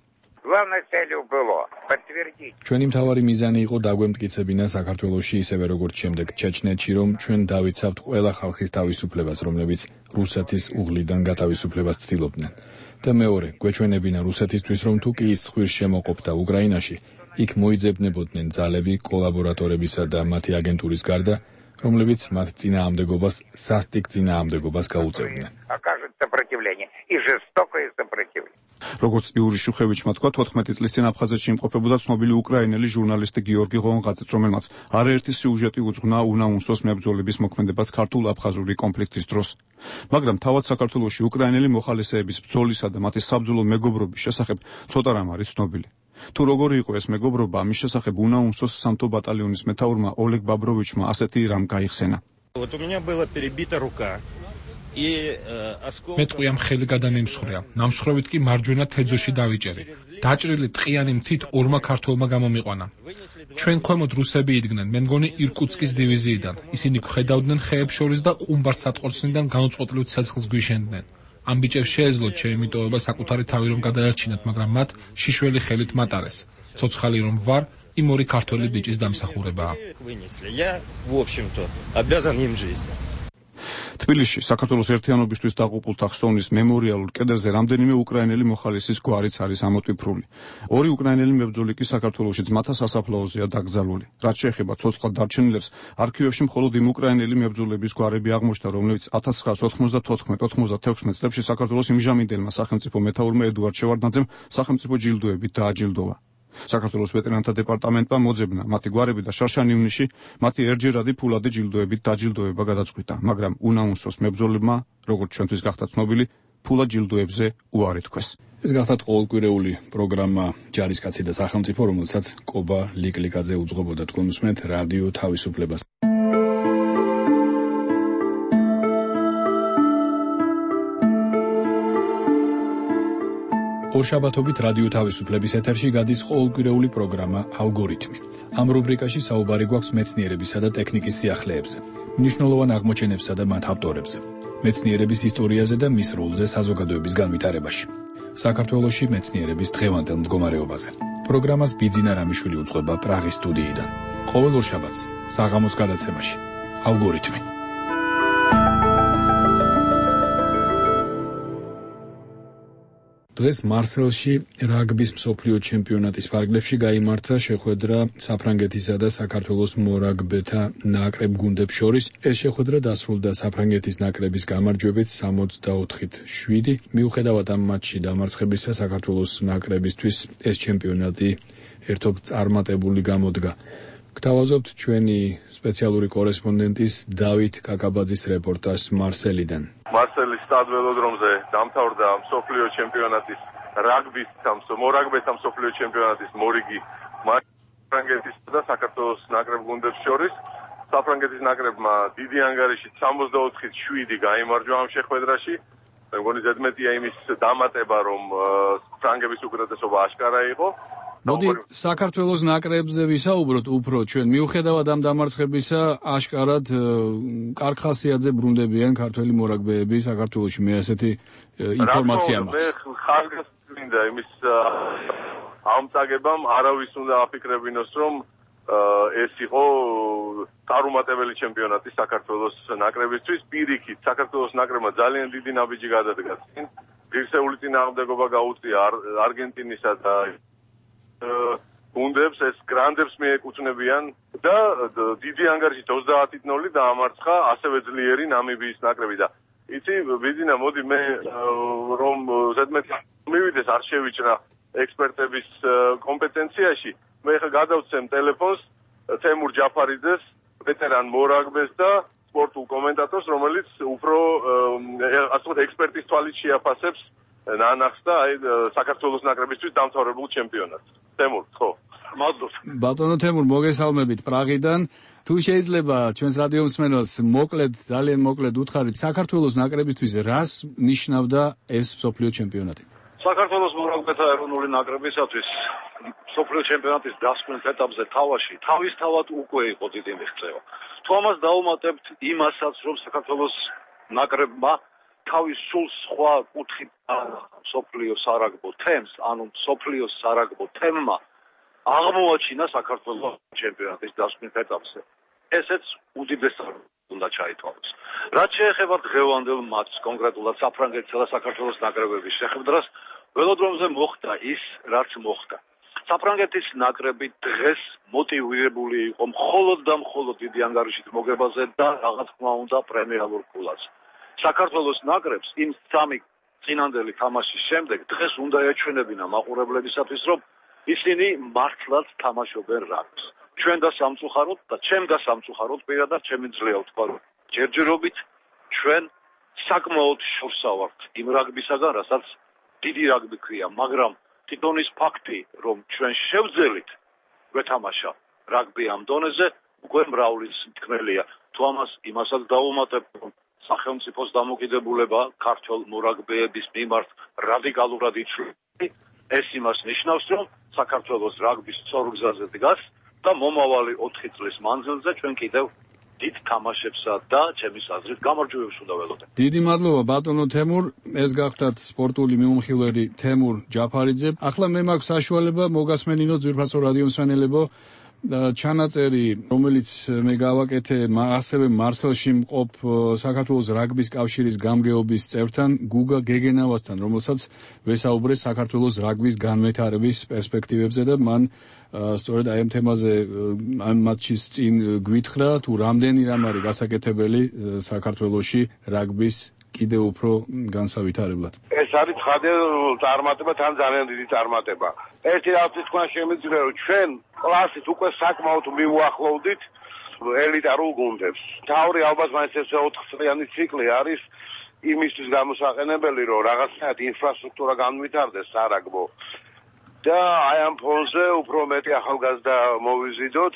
ჩვენი მთავარი მიზანი იყო დაგვემტკიცებინა საქართველოში ისევე როგორც შემდეგ ჩეჩნეთში, რომ ჩვენ დავიცავთ ყველა ხალხის თავისუფლებას, რომლებიც რუსეთის უღლიდან გათავისუფლებას ცდილობდნენ. და მეორე, გვეჩვენებინა რუსეთისთვის, რომ თუ კი ის ცხვირს შემოყოფდა უკრაინაში, იქ მოიძებნებოდნენ ძალები კოლაბორატორებისა და მათი აგენტურის გარდა, რომლებიც მათ წინააღმდეგობას, სასტიკ წინააღმდეგობას გაუწევდნენ. როგორც იური შუხევიჩმა თქვა, თოთხმეტი წლის წინ აფხაზეთში იმყოფებოდა ცნობილი უკრაინელი ჟურნალისტი გიორგი ღონღაძეც, რომელმაც არაერთი სიუჟეტი უძღვნა უნაუნსოს მებრძოლების მოქმედებას ქართულ-აფხაზური კონფლიქტის დროს. მაგრამ თავად საქართველოში უკრაინელი მოხალისეების ბრძოლისა და მათი საბრძოლო მეგობრობის შესახებ ცოტა რამ არის ცნობილი. თუ როგორი იყო ეს მეგობრობა, ამის შესახებ უნაუნსოს სამთო ბატალიონის მეთაურმა ოლეგ ბაბროვიჩმა ასეთი რამ გაიხსენა. მე ტყვიამ ხელი გადამიმსხვრია, ნამსხვრევით კი მარჯვენა თეძოში დავიჭერი. დაჭრილი ტყიანი მთით ორმა ქართველმა გამომიყვანა. ჩვენ ქვემოთ რუსები იდგნენ, მე მგონი ირკუტსკის დივიზიიდან. ისინი გვხედავდნენ ხეებს შორის და ყუმბარდსატყორცნიდან განუწყვეტლივ ცეცხლს გვიშენდნენ. ამ ბიჭებს შეეძლოთ ჩემი მიტოვება საკუთარი თავი რომ გადაერჩინათ, მაგრამ მათ შიშველი ხელით მატარეს. ცოცხალი რომ ვარ, იმ ორი ქართველი ბიჭის დამსახურებაა. თბილისში საქართველოს ერთიანობისთვის დაღუპულთა ხსოვნის მემორიალურ კედელზე რამდენიმე უკრაინელი მოხალისის გვარიც არის ამოტვიფრული. ორი უკრაინელი მებრძოლი კი საქართველოში ძმათა სასაფლაოზეა დაკრძალული. რაც შეეხება ცოცხლად დარჩენილებს, არქივებში მხოლოდ იმ უკრაინელი მებრძოლების გვარები აღმოჩნდა, რომლებიც ათას ცხრაასი ოცდაათი ოცდაათექვსმეტ წლებში საქართველოს იმჟამინდელმა სახელმწიფო მეთაურმა ედუარდ შევარდნაძემ სახელმწიფო ჯილდოებით დააჯილდოვა. საქართველოს ვეტერანთა დეპარტამენტმა მოძებნა მათი გვარები და შარშან ივნისში მათი ერთჯერადი ფულადი ჯილდოებით დაჯილდოება გადაწყვიტა, მაგრამ უნაუნსოს მებრძოლებმა, როგორც ჩვენთვის გახდა ცნობილი, ფულად ჯილდოებზე უარი თქვეს. ეს გახლავთ ყოველკვირეული პროგრამა ჯარისკაცი და სახელმწიფო, რომელსაც კობა ლიკლიკაძე უძღვებოდა. თქვენ უსმენთ რადიო თავისუფლებას. ორშაბათობით რადიო თავისუფლების ეთერში გადის ყოველკვირეული პროგრამა ალგორითმი. ამ რუბრიკაში საუბარი გვაქვს მეცნიერებისა და ტექნიკის სიახლეებზე, მნიშვნელოვან აღმოჩენებსა და მათ ავტორებზე, მეცნიერების ისტორიაზე და მის როლზე საზოგადოების განვითარებაში. საქართველოში მეცნიერების დღევანდელ მდგომარეობაზე. პროგრამას ბიძინა რამიშვილი უძღვება პრაღის სტუდიიდან. ყოველ ორშაბათს საღამოს გადაცემაში ალგორითმი. დღეს მარსელში რაგბის მსოფლიო ჩემპიონატის ფარგლებში გაიმართა შეხვედრა საფრანგეთისა და საქართველოს მორაგბეთა ნაკრებ გუნდებს შორის. ეს შეხვედრა დასრულდა საფრანგეთის ნაკრების გამარჯვებით სამოცდაოთხით შვიდი. მიუხედავად ამ მატჩში დამარცხებისა, საქართველოს ნაკრებისთვის ეს ჩემპიონატი ერთობ წარმატებული გამოდგა. გთავაზობთ ჩვენი სპეციალური კორესპონდენტის დავით კაკაბაძის რეპორტაჟს მარსელიდან. მარსელის სტადველოდრომზე დამთავრდა მსოფლიო ჩემპიონატის რაგბის მორაგბეთა მსოფლიო ჩემპიონატის მორიგი საფრანგეთის და საქართველოს ნაკრებ გუნდებს შორის. საფრანგეთის ნაკრებმა დიდი ანგარიშით სამოცდაოთხით შვიდი გაიმარჯვა ამ შეხვედრაში. მე მგონი ზედმეტია იმის დამატება, რომ ფრანგების უკრატესობა აშკარა იყო. მოდი საქართველოს ნაკრებზე ვისაუბროთ უფრო ჩვენ. მიუხედავად ამ დამარცხებისა, აშკარად კარგ ხასიათზე ბრუნდებიან ქართველი მორაგბეები საქართველოში. მე ასეთი ინფორმაცია მაქვს. მე ხარგასმინდა იმის ამწაგებამ არავის უნდა აფიქრებინოს, რომ ეს იყო წარუმატებელი ჩემპიონატი საქართველოს ნაკრებისთვის. პირიქით, საქართველოს ნაკრებმა ძალიან დიდი ნაბიჯი გადადგა წინ. ღირსეული წინააღმდეგობა გაუწია არგენტინისა და გუნდებს, ეს გრანდებს მიეკუთვნებიან და დიდი ანგარიშით ოცდაათით ნოლი დაამარცხა ასევე ძლიერი ნამიბიის ნაკრები და იცი ბიძინა, მოდი მე რომ ზედმეტი მივიდეს არ შევიჭრა ექსპერტების კომპეტენციაში. მე ხა გადავცემ ტელეფონს თემურ ჯაფარიძეს, ვეტერან მორაგბეს და სპორტულ კომენტატორს, რომელიც უფრო ასე ვთქვათ ექსპერტის თვალით შეაფასებს ნანახს და აი საქართველოს ნაკრებისთვის დამთავრებულ ჩემპიონატს. თემურ, ხო. მადლობ. ბატონო თემურ, მოგესალმებით პრაღიდან. თუ შეიძლება ჩვენს რადიო მსმენელს მოკლედ, ძალიან მოკლედ უთხარით, საქართველოს ნაკრებისთვის რას ნიშნავდა ეს მსოფლიო ჩემპიონატი? საქართველოს მორაგბეთა ეროვნული ნაკრებისათვის მსოფლიო ჩემპიონატის დასკვნის ეტაპზე თავაში თავისთავად უკვე იყო დიდი მიღწევა. თუ ამას დავუმატებთ იმასაც, რომ საქართველოს ნაკრებმა თავის სულ სხვა კუთხით მსოფლიო სარაგბო თემს, ანუ მსოფლიო სარაგბო თემმა აღმოაჩინა საქართველოს ჩემპიონატის დასკვნის ეტაპზე. ესეც უდიდეს უნდა ჩაითვალოს. რაც შეეხება დღევანდელ მატჩს, კონკრეტულად საფრანგეთსა და საქართველოს ნაკრებების შეხვედრას, ველოდრომზე მოხდა ის, რაც მოხდა. საფრანგეთის ნაკრები დღეს მოტივირებული იყო მხოლოდ და მხოლოდ დიდი ანგარიშით მოგებაზე და რაღაც თქმა უნდა პრემიალურ ფულას. საქართველოს ნაკრებს იმ სამი წინანდელი თამაშის შემდეგ დღეს უნდა ეჩვენებინა მაყურებლებისათვის, რომ ისინი მართლაც თამაშობენ რაგბს. ჩვენ და სამწუხაროდ და ჩემ და სამწუხაროდ პირადად ჩემი ძლევა ვთქვა, რომ ჯერჯერობით ჩვენ საკმაოდ შორსა ვართ იმ რაგბისაგან, რასაც დიდი რაგბი ქვია, მაგრამ თვითონ ის ფაქტი, რომ ჩვენ შევძელით გვეთამაშა რაგბი ამ დონეზე, უკვე მრავლის თქმელია. თუ ამას იმასაც დავუმატებ, რომ სახელმწიფოს დამოკიდებულება ქართველ მორაგბეების მიმართ რადიკალურად იცვლება, ეს იმას ნიშნავს, რომ საქართველოს რაგბის სწორ გზაზე დგას და მომავალი ოთხი წლის მანძილზე ჩვენ კიდევ დიდ თამაშებსა და ჩემის აზრით გამარჯვებებს უნდა ველოდეთ. დიდი მადლობა ბატონო თემურ, ეს გახდათ სპორტული მიმოხილველი თემურ ჯაფარიძე. ახლა მე მაქვს საშუალება მოგასმენინო ძვირფასო რადიო მსმენელებო ჩანაწერი, რომელიც მე გავაკეთე ასევე მარსელში მყოფ საქართველოს რაგბის კავშირის გამგეობის წევრთან გუგა გეგენავასთან, რომელსაც ვესაუბრე საქართველოს რაგბის განვითარების პერსპექტივებზე და მან სწორედ აი ამ თემაზე ამ მატჩის წინ გვითხრა, თუ რამდენი რამ არის გასაკეთებელი საქართველოში რაგბის კიდევ უფრო განსავითარებლად. ეს არის ცხადე წარმატება, თან ძალიან დიდი წარმატება. ერთი რაღაცის თქვა შემიძლია, რომ ჩვენ კლასით უკვე საკმაოდ მივუახლოვდით ელიტარულ გუნდებს. თავი ალბათ მაინც ეს ოთხ წლიანი ციკლი არის იმისთვის გამოსაყენებელი, რომ რაღაცნაირად ინფრასტრუქტურა განვითარდეს სარაგბო. და აი ამ ფონზე უფრო მეტი ახალგაზრდა მოვიზიდოთ,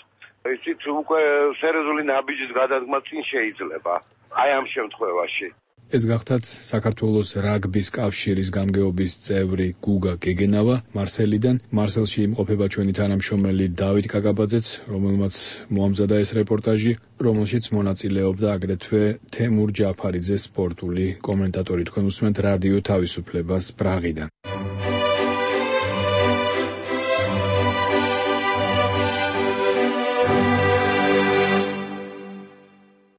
იცით, უკვე სერიოზული ნაბიჯის გადადგმა წინ შეიძლება. აი ამ შემთხვევაში. ეს გახდათ საქართველოს რაგბის კავშირის გამგეობის წევრი გუგა გეგენავა მარსელიდან. მარსელში იმყოფება ჩვენი თანამშრომელი დავით კაკაბაძეც, რომელმაც მოამზადა ეს რეპორტაჟი, რომელშიც მონაწილეობდა აგრეთვე თემურ ჯაფარიძე, სპორტული კომენტატორი. თქვენ უსმენთ რადიო თავისუფლებას პრაღიდან.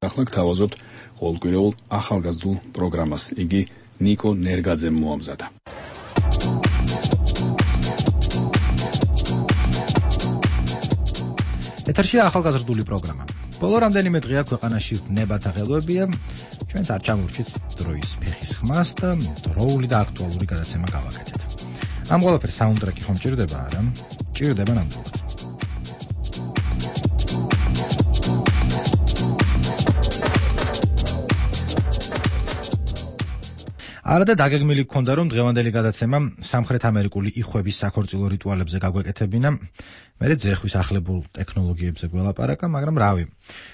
ახლა გთავაზობთ ყოველკვირეულ ახალგაზრდულ პროგრამას. იგი ნიკო ნერგაძემ მოამზადა. ეთერშია ახალგაზრდული პროგრამა. ბოლო რამდენიმე დღეა ქვეყანაში ნებათა ღელვებია. ჩვენც არ ჩამოვჭით დროის ფეხის ხმას და დროული და აქტუალური გადაცემა გავაკეთეთ. ამ ყველაფერს საუნდტრეკი ხომ ჭირდება, არა? ჭირდება ნამდვილად. არა და დაგეგმილი გქონდა რომ დღევანდელი გადაცემა სამხრეთ ამერიკული იხვების საქორწილო რიტუალებზე გაგვეკეთებინა, მერე ძეხვის ახლებულ ტექნოლოგიებზე გველაპარაკა, მაგრამ რავი,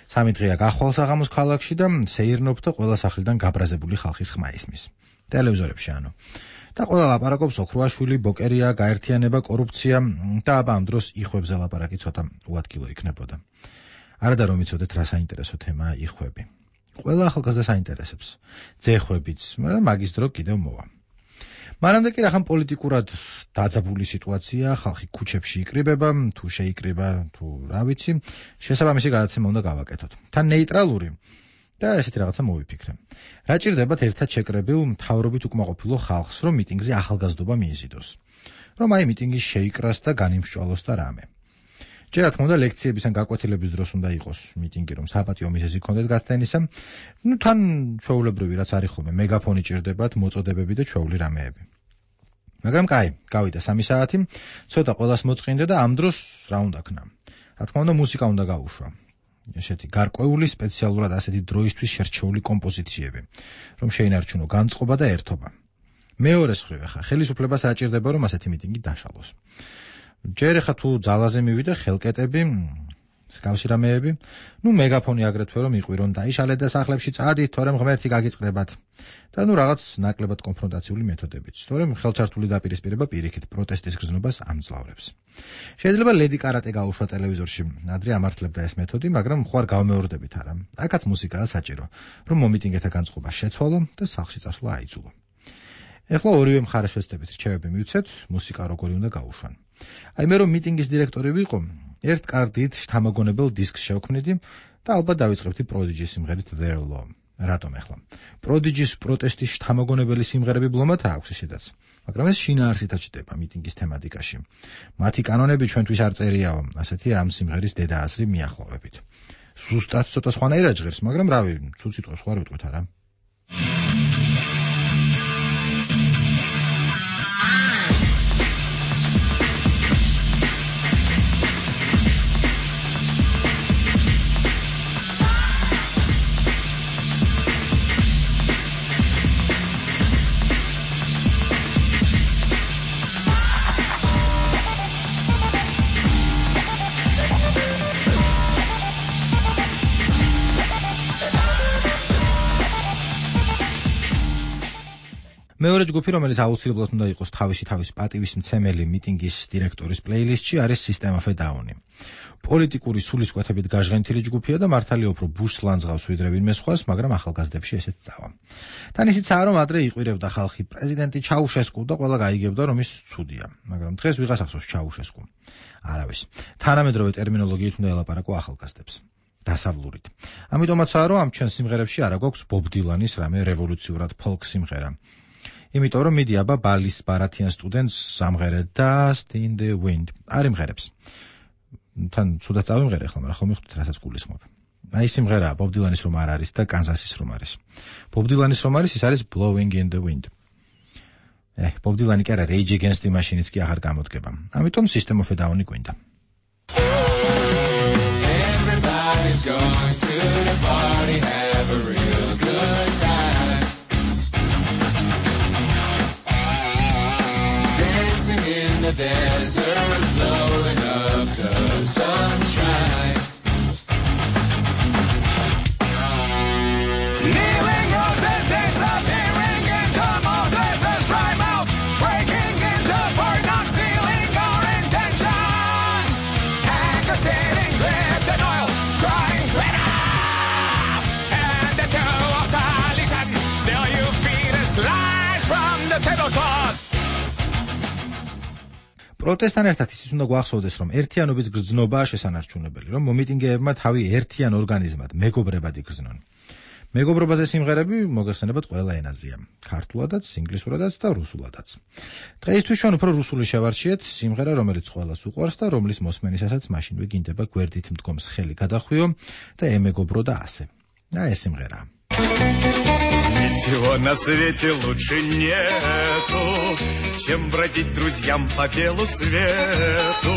სამი დღეა გახვალ საღამოს ქალაქში და სეირნობ და ყველა სახლიდან გაბრაზებული ხალხის ხმა ისმის. ტელევიზორებში ანუ. და ყველა ლაპარაკობს ოქროაშვილი, ბოკერია, გაერთიანება, კორუფცია და აბა ამ დროს იხვებზე ლაპარაკი ცოტა უადგილო იქნებოდა. არადა რომ იცოდეთ რა საინტერესო თემაა იხვები. ყველა ახალგაზრდას აინტერესებს. ძეხვებიც, მაგრამ მაგის დრო კიდევ მოვა. მანამდე კი რახან პოლიტიკურად დაძაბული სიტუაცია, ხალხი ქუჩებში იკრიბება, თუ შეიკრიბა, თუ რა ვიცი, შესაბამისი გადაცემა უნდა გავაკეთოთ. თან ნეიტრალური და ესეთი რაღაცა მოვიფიქრე. რა ჭირდებათ ერთად შეკრებილ მთავრობით უკმაყოფილო ხალხს, რომ მიტინგზე ახალგაზრდობა მიიზიდოს. რომ აი მიტინგი შეიკრას და განიმსჭვალოს და რამე. ჯერ რა თქმა უნდა ლექციების ან გაკვეთილების დროს უნდა იყოს მიტინგი, რომ საპატიო მიზეზი გქონდეთ გასცენისა. ნუ თან ჩვეულებრივი რაც არის ხოლმე, მეგაფონი ჭირდებათ, მოწოდებები და ჩვეული რამეები. მაგრამ კაი, გავიდა სამი საათი, ცოტა ყველას მოწყინდა და ამ დროს რა უნდა ქნა? რა თქმა უნდა მუსიკა უნდა გაუშვა. ესეთი გარკვეული სპეციალურად ასეთი დროისთვის შერჩეული კომპოზიციები, რომ შეინარჩუნო განწყობა და ერთობა. მეორე მხრივ ახლა ხელისუფლებას აჭირდება რომ ასეთი მიტინგი დაშალოს. ჯერ ახლა თუ ძალაზე მივიდა ხელკეტები, მსგავსი რამეები, ნუ მეგაფონი აგრეთვე რომ იყვირონ დაიშალეთ და სახლებში წადით, თორემ ღმერთი გაგიწყდებათ. და ნუ რაღაც ნაკლებად კონფრონტაციული მეთოდებიც, თორემ ხელჩართული დაპირისპირება პირიქით პროტესტის გრძნობას ამძლავრებს. შეიძლება ლედი კარატე გაუშვა ტელევიზორში, ადრე ამართლებდა ეს მეთოდი, მაგრამ ხო არ გავმეორდებით არა. აქაც მუსიკაა საჭირო, რომ მომიტინგეთა განწყობა შეცვალო და სახლში წასვლა აიძულო. ეხლა ორივე მხარეს ვეცდებით რჩევები მივცეთ, მუსიკა როგორი უნდა გაუშვან. აი მე რომ მიტინგის დირექტორი ვიყო, ერთ კარტით შთამაგონებელ დისკს შევქმნიდი და ალბათ დავიწყებდი პროდიჯის სიმღერით Their Law. რატომ ახლა? პროდიჯის პროტესტის შთამაგონებელი სიმღერები ბლომად აქვს ისედაც, მაგრამ ეს შინაარსითაც ჩდება მიტინგის თემატიკაში. მათი კანონები ჩვენთვის არ წერიაო, ასეთია ამ სიმღერის დედააზრი მიახლოვებით. ზუსტად ცოტა სხვანაირად ჟღერს, მაგრამ რავი, ცუც სიტყვას ხო არ ვიტყვით არა? მეორე ჯგუფი, რომელიც აუცილებლად უნდა იყოს თავისი თავის პატივის მცემელი მიტინგის დირექტორის პლეილისტში, არის System of a Down. პოლიტიკური სულისკვეთებით გაჟღენთილი ჯგუფია და მართალია უფრო ბუშს ლანძღავს ვიდრე ვინმე სხვას, მაგრამ ახალგაზრდებში ესეც წავა. თან ისიცაა, რომ ადრე იყვირებდა ხალხი პრეზიდენტი ჩაუშესკუ და ყველა გაიგებდა, რომ ის ცუდია. მაგრამ დღეს ვიღას ახსოვს ჩაუშესკუ. არავის. თანამედროვე ტერმინოლოგიით უნდა ელაპარაკო ახალგაზრდებს. დასავლურით. ამიტომაცაა, რომ ამ ჩვენ სიმღერებში არა გვაქვს ბობ დილანის რამე რევოლუციურად ფოლკ სიმღერა. იმიტომ რომ მიდი აბა ბალის ბარათიან სტუდენტს სამღერე Dust in the Wind არ იმღერებს. თან ცუდად წავიმღერე ახლა, მაგრამ ხომ მიხდით რასაც გულისხმობ. აი სიმღერაა ბობ დილანის რომ არ არის და კანზასის რომ არის. ბობ დილანის რომ არის, ის არის Blowing in the Wind. ე, ბობ დილანი კი არა, Rage Against the Machine-იც კი აღარ გამოდგება. ამიტომ System of a Down-ი გვინდა. Everybody's going to the party, have a real good time. In the desert, blowing up the sunshine. Kneeling Moses, disappearing into Moses' dry mouth, breaking into for not stealing our intentions. Anger sitting gripped in oil, crying glitter. And the two of solution, still you feed a slice from the tablecloth. პროტესტთან ერთად ისიც უნდა გვახსოვდეს, რომ ერთიანობის გრძნობაა შესანარჩუნებელი, რომ მომიტინგეებმა თავი ერთიან ორგანიზმად, მეგობრებად იგრძნონ. მეგობრობაზე სიმღერები მოგეხსენებათ ყველა ენაზეა, ქართულადაც, ინგლისურადაც და რუსულადაც. დღეისთვის ჩვენ უფრო რუსული შევარჩიეთ სიმღერა, რომელიც ყველას უყვარს და რომლის მოსმენისასაც მაშინვე გინდება გვერდით მდგომს ხელი გადახვიო და ემეგობრო და ასე. და ეს სიმღერაა. Ничего на свете лучше нету, чем бродить друзьям по белу свету.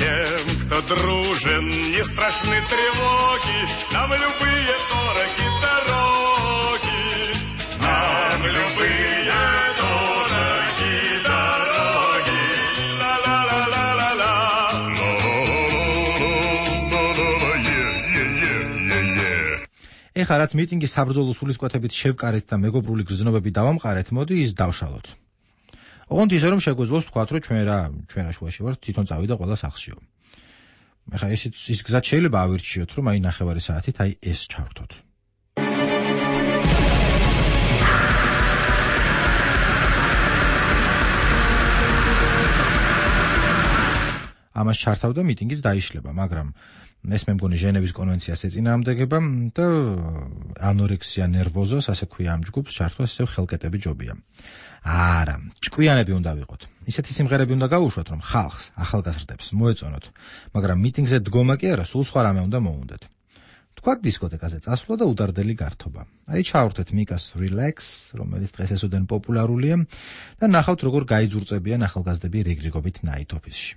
Тем, кто дружен, не страшны тревоги, нам любые дороги дороги, нам любые ეხლა რაც მიტინგის საბრძოლო სულისკვეთებით შევკარეთ და მეგობრული გრძნობები დავამყარეთ, მოდი ის დავშალოთ. ოღონდ ისე რომ შეგვეძლოს ვთქვათ, რომ ჩვენ რა ჩვენ რა შუაში ვართ, თვითონ წავიდა ყველა სახლშიო. ეხლა ეს ის გზად შეიძლება ავირჩიოთ, რომ აი ნახევარი საათით აი ეს ჩავრთოთ. ამას ჩართავდა მიტინგიც დაიშლება, მაგრამ ეს მე მგონი ჟენევის კონვენციას ეწინააღმდეგება და ანორექსია ნერვოზოს, ასე ქვია ამ ჯგუფს, ჩართვა ისევ ხელკეტები ჯობია. არა, ჭკვიანები უნდა ვიყოთ. ისეთი სიმღერები უნდა გავუშვათ, რომ ხალხს, ახალგაზრდებს მოეწონოთ, მაგრამ მიტინგზე დგომა კი არა, სულ სხვა რამე უნდა მოუნდეთ. თქვათ დისკოთეკაზე წასვლა და უდარდელი გართობა. აი ჩავრთეთ მიკას Relax, რომელიც დღეს ესოდენ პოპულარულია და ნახავთ როგორ გაიძურწებიან ახალგაზრდები რიგრიგობით Night Office-ში.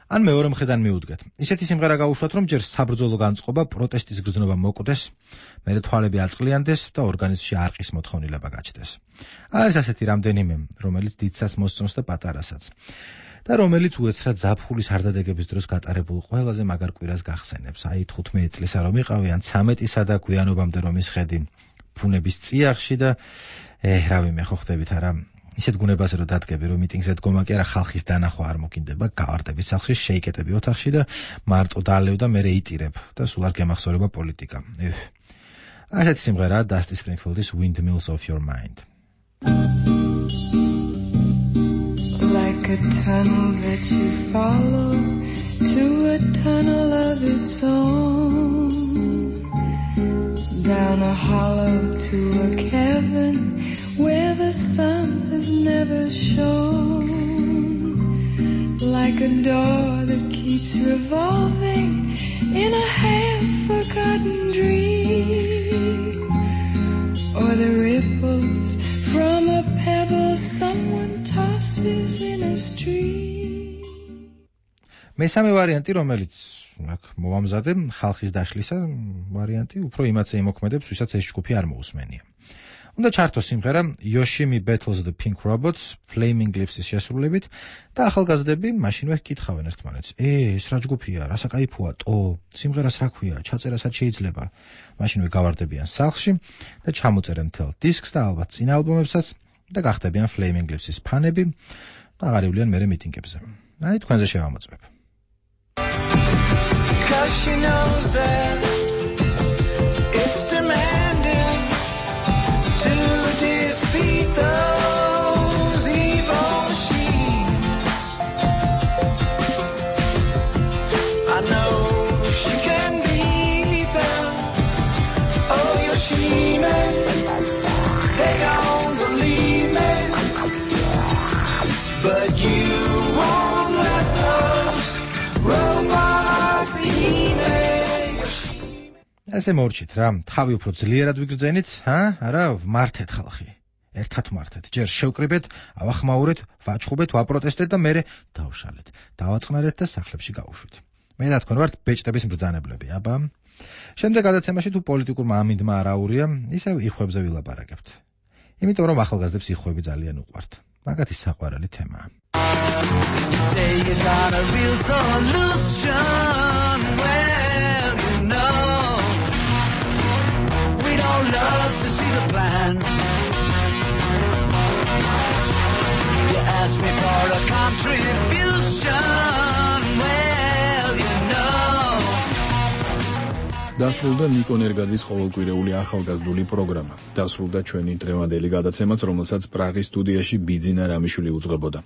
ან მეორე მხრიდან მიუდგეთ. ისეთი სიმღერა გავუშვათ, რომ ჯერ საბრძოლო განწყობა, პროტესტის გრძნობა მოკვდეს, მერე თვალები აწყლიანდეს და ორგანიზმში არყის მოთხოვნილება გაჩნდეს. არის ასეთი რამდენიმე, რომელიც დიდსაც მოსწონს და პატარასაც. და რომელიც უეცრად ზაფხულის არდადეგების დროს გატარებულ ყველაზე მაგარ კვირას გახსენებს. აი თხუთმეტი წლისა რომ იყავი, ან ცამეტისა და გვიანობამდე რომ ისხედი ფუნების წიაღში და ე, რავი მე ხო ხდებით არა ისეთ გუნებაზე რომ დადგები, რომ მიტინგზე დგომა კი არა ხალხის დანახვა არ მოგინდება, გავარდები სახლში, შეიკეტები ოთახში და მარტო დალევ და მერე იტირებ და სულ არ გემახსოვრება პოლიტიკა. ასეთი სიმღერაა Dusty Springfield's Windmills of Your Mind. Like a tunnel that you follow to a tunnel of its own, down a hollow to a cavern where the sun has never shone, like a door that keeps revolving in a half-forgotten dream, or the ripples from a pebble someone tosses in a stream. მესამე ვარიანტი, რომელიც აქ მოვამზადე, ხალხის დაშლისა ვარიანტი, უფრო იმათზე იმოქმედებს, ვისაც ეს ჯგუფი არ მოусმენია. უნდა ჩართოს სიმღერა Yoshimi Battles the Pink Robots, Flaming Lips-ის შესრულებით და ახალგაზრდები მაშინვე ჰკითხავენ ერთმანეთს: "ე, ეს რა ჯგუფია? რა საკაიფოა? ტო, სიმღერას რა ქვია? ჩაწერასაც შეიძლება?" მაშინვე გავარდებიან სახლში და ჩამოწერენ მთელ დისკს და ალბათ წინა ალბომებსაც და გახდებიან Flaming Lips-ის ფანები და აღარ ივლიან მერე მიტინგებზე. აი თქვენზე შევამოწმებ. Cause she knows that it's demanding to defeat those evil machines. I know she can beat them. Oh, Yoshimi, they don't believe me, but you won't let those robots eat me. ასე მორჩით რა, თავი უფრო ძლიერად ვიგრძენით, ჰა? არა, ვმართეთ ხალხი. ერთად ვმართეთ. ჯერ შევკრიბეთ, ავახმაურეთ, ვაჩხუბეთ, ვაპროტესტეთ და მერე დავშალეთ. დავაწყნარეთ და სახლებში გავუშვით. მე და თქვენ ვართ ბეჭდების მბრძანებლები, აბა. შემდეგ გადაცემაში თუ პოლიტიკურმა ამინდმა არ აურია, ისევ იხვებზე ვილაპარაკებთ. იმიტომ რომ ახალგაზრდებს იხვები ძალიან უყვართ. მაგათი საყვარელი თემაა. You say you got a real solution. Well, you know we don't love to see the plan. You ask me for a contribution. Well, you know. დასრულდა ნიკო ნერგაძის ყოველკვირეული ახალგაზრდული პროგრამა. დასრულდა ჩვენი დღევანდელი გადაცემაც, რომელსაც პრაღის სტუდიაში ბიძინა რამიშვილი უძღვებოდა.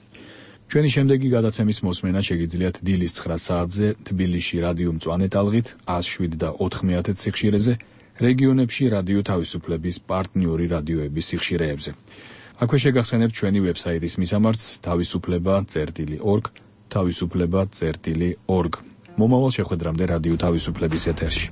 ჩვენი შემდეგი გადაცემის მოსმენა შეგიძლიათ დილის ცხრა საათზე თბილისში რადიო მწვანე ტალღით ათას შვიდ და ოთხმეათე სიხშირეზე, რეგიონებში რადიო თავისუფლების პარტნიორი რადიოების სიხშირეებზე. აქვე შეგახსენებთ ჩვენი ვებსაიტის მისამართს თავისუფლება წერტილი ორგ, თავისუფლება წერტილი ორგ. მომავალ შეხვედრამდე რადიო თავისუფლების ეთერში.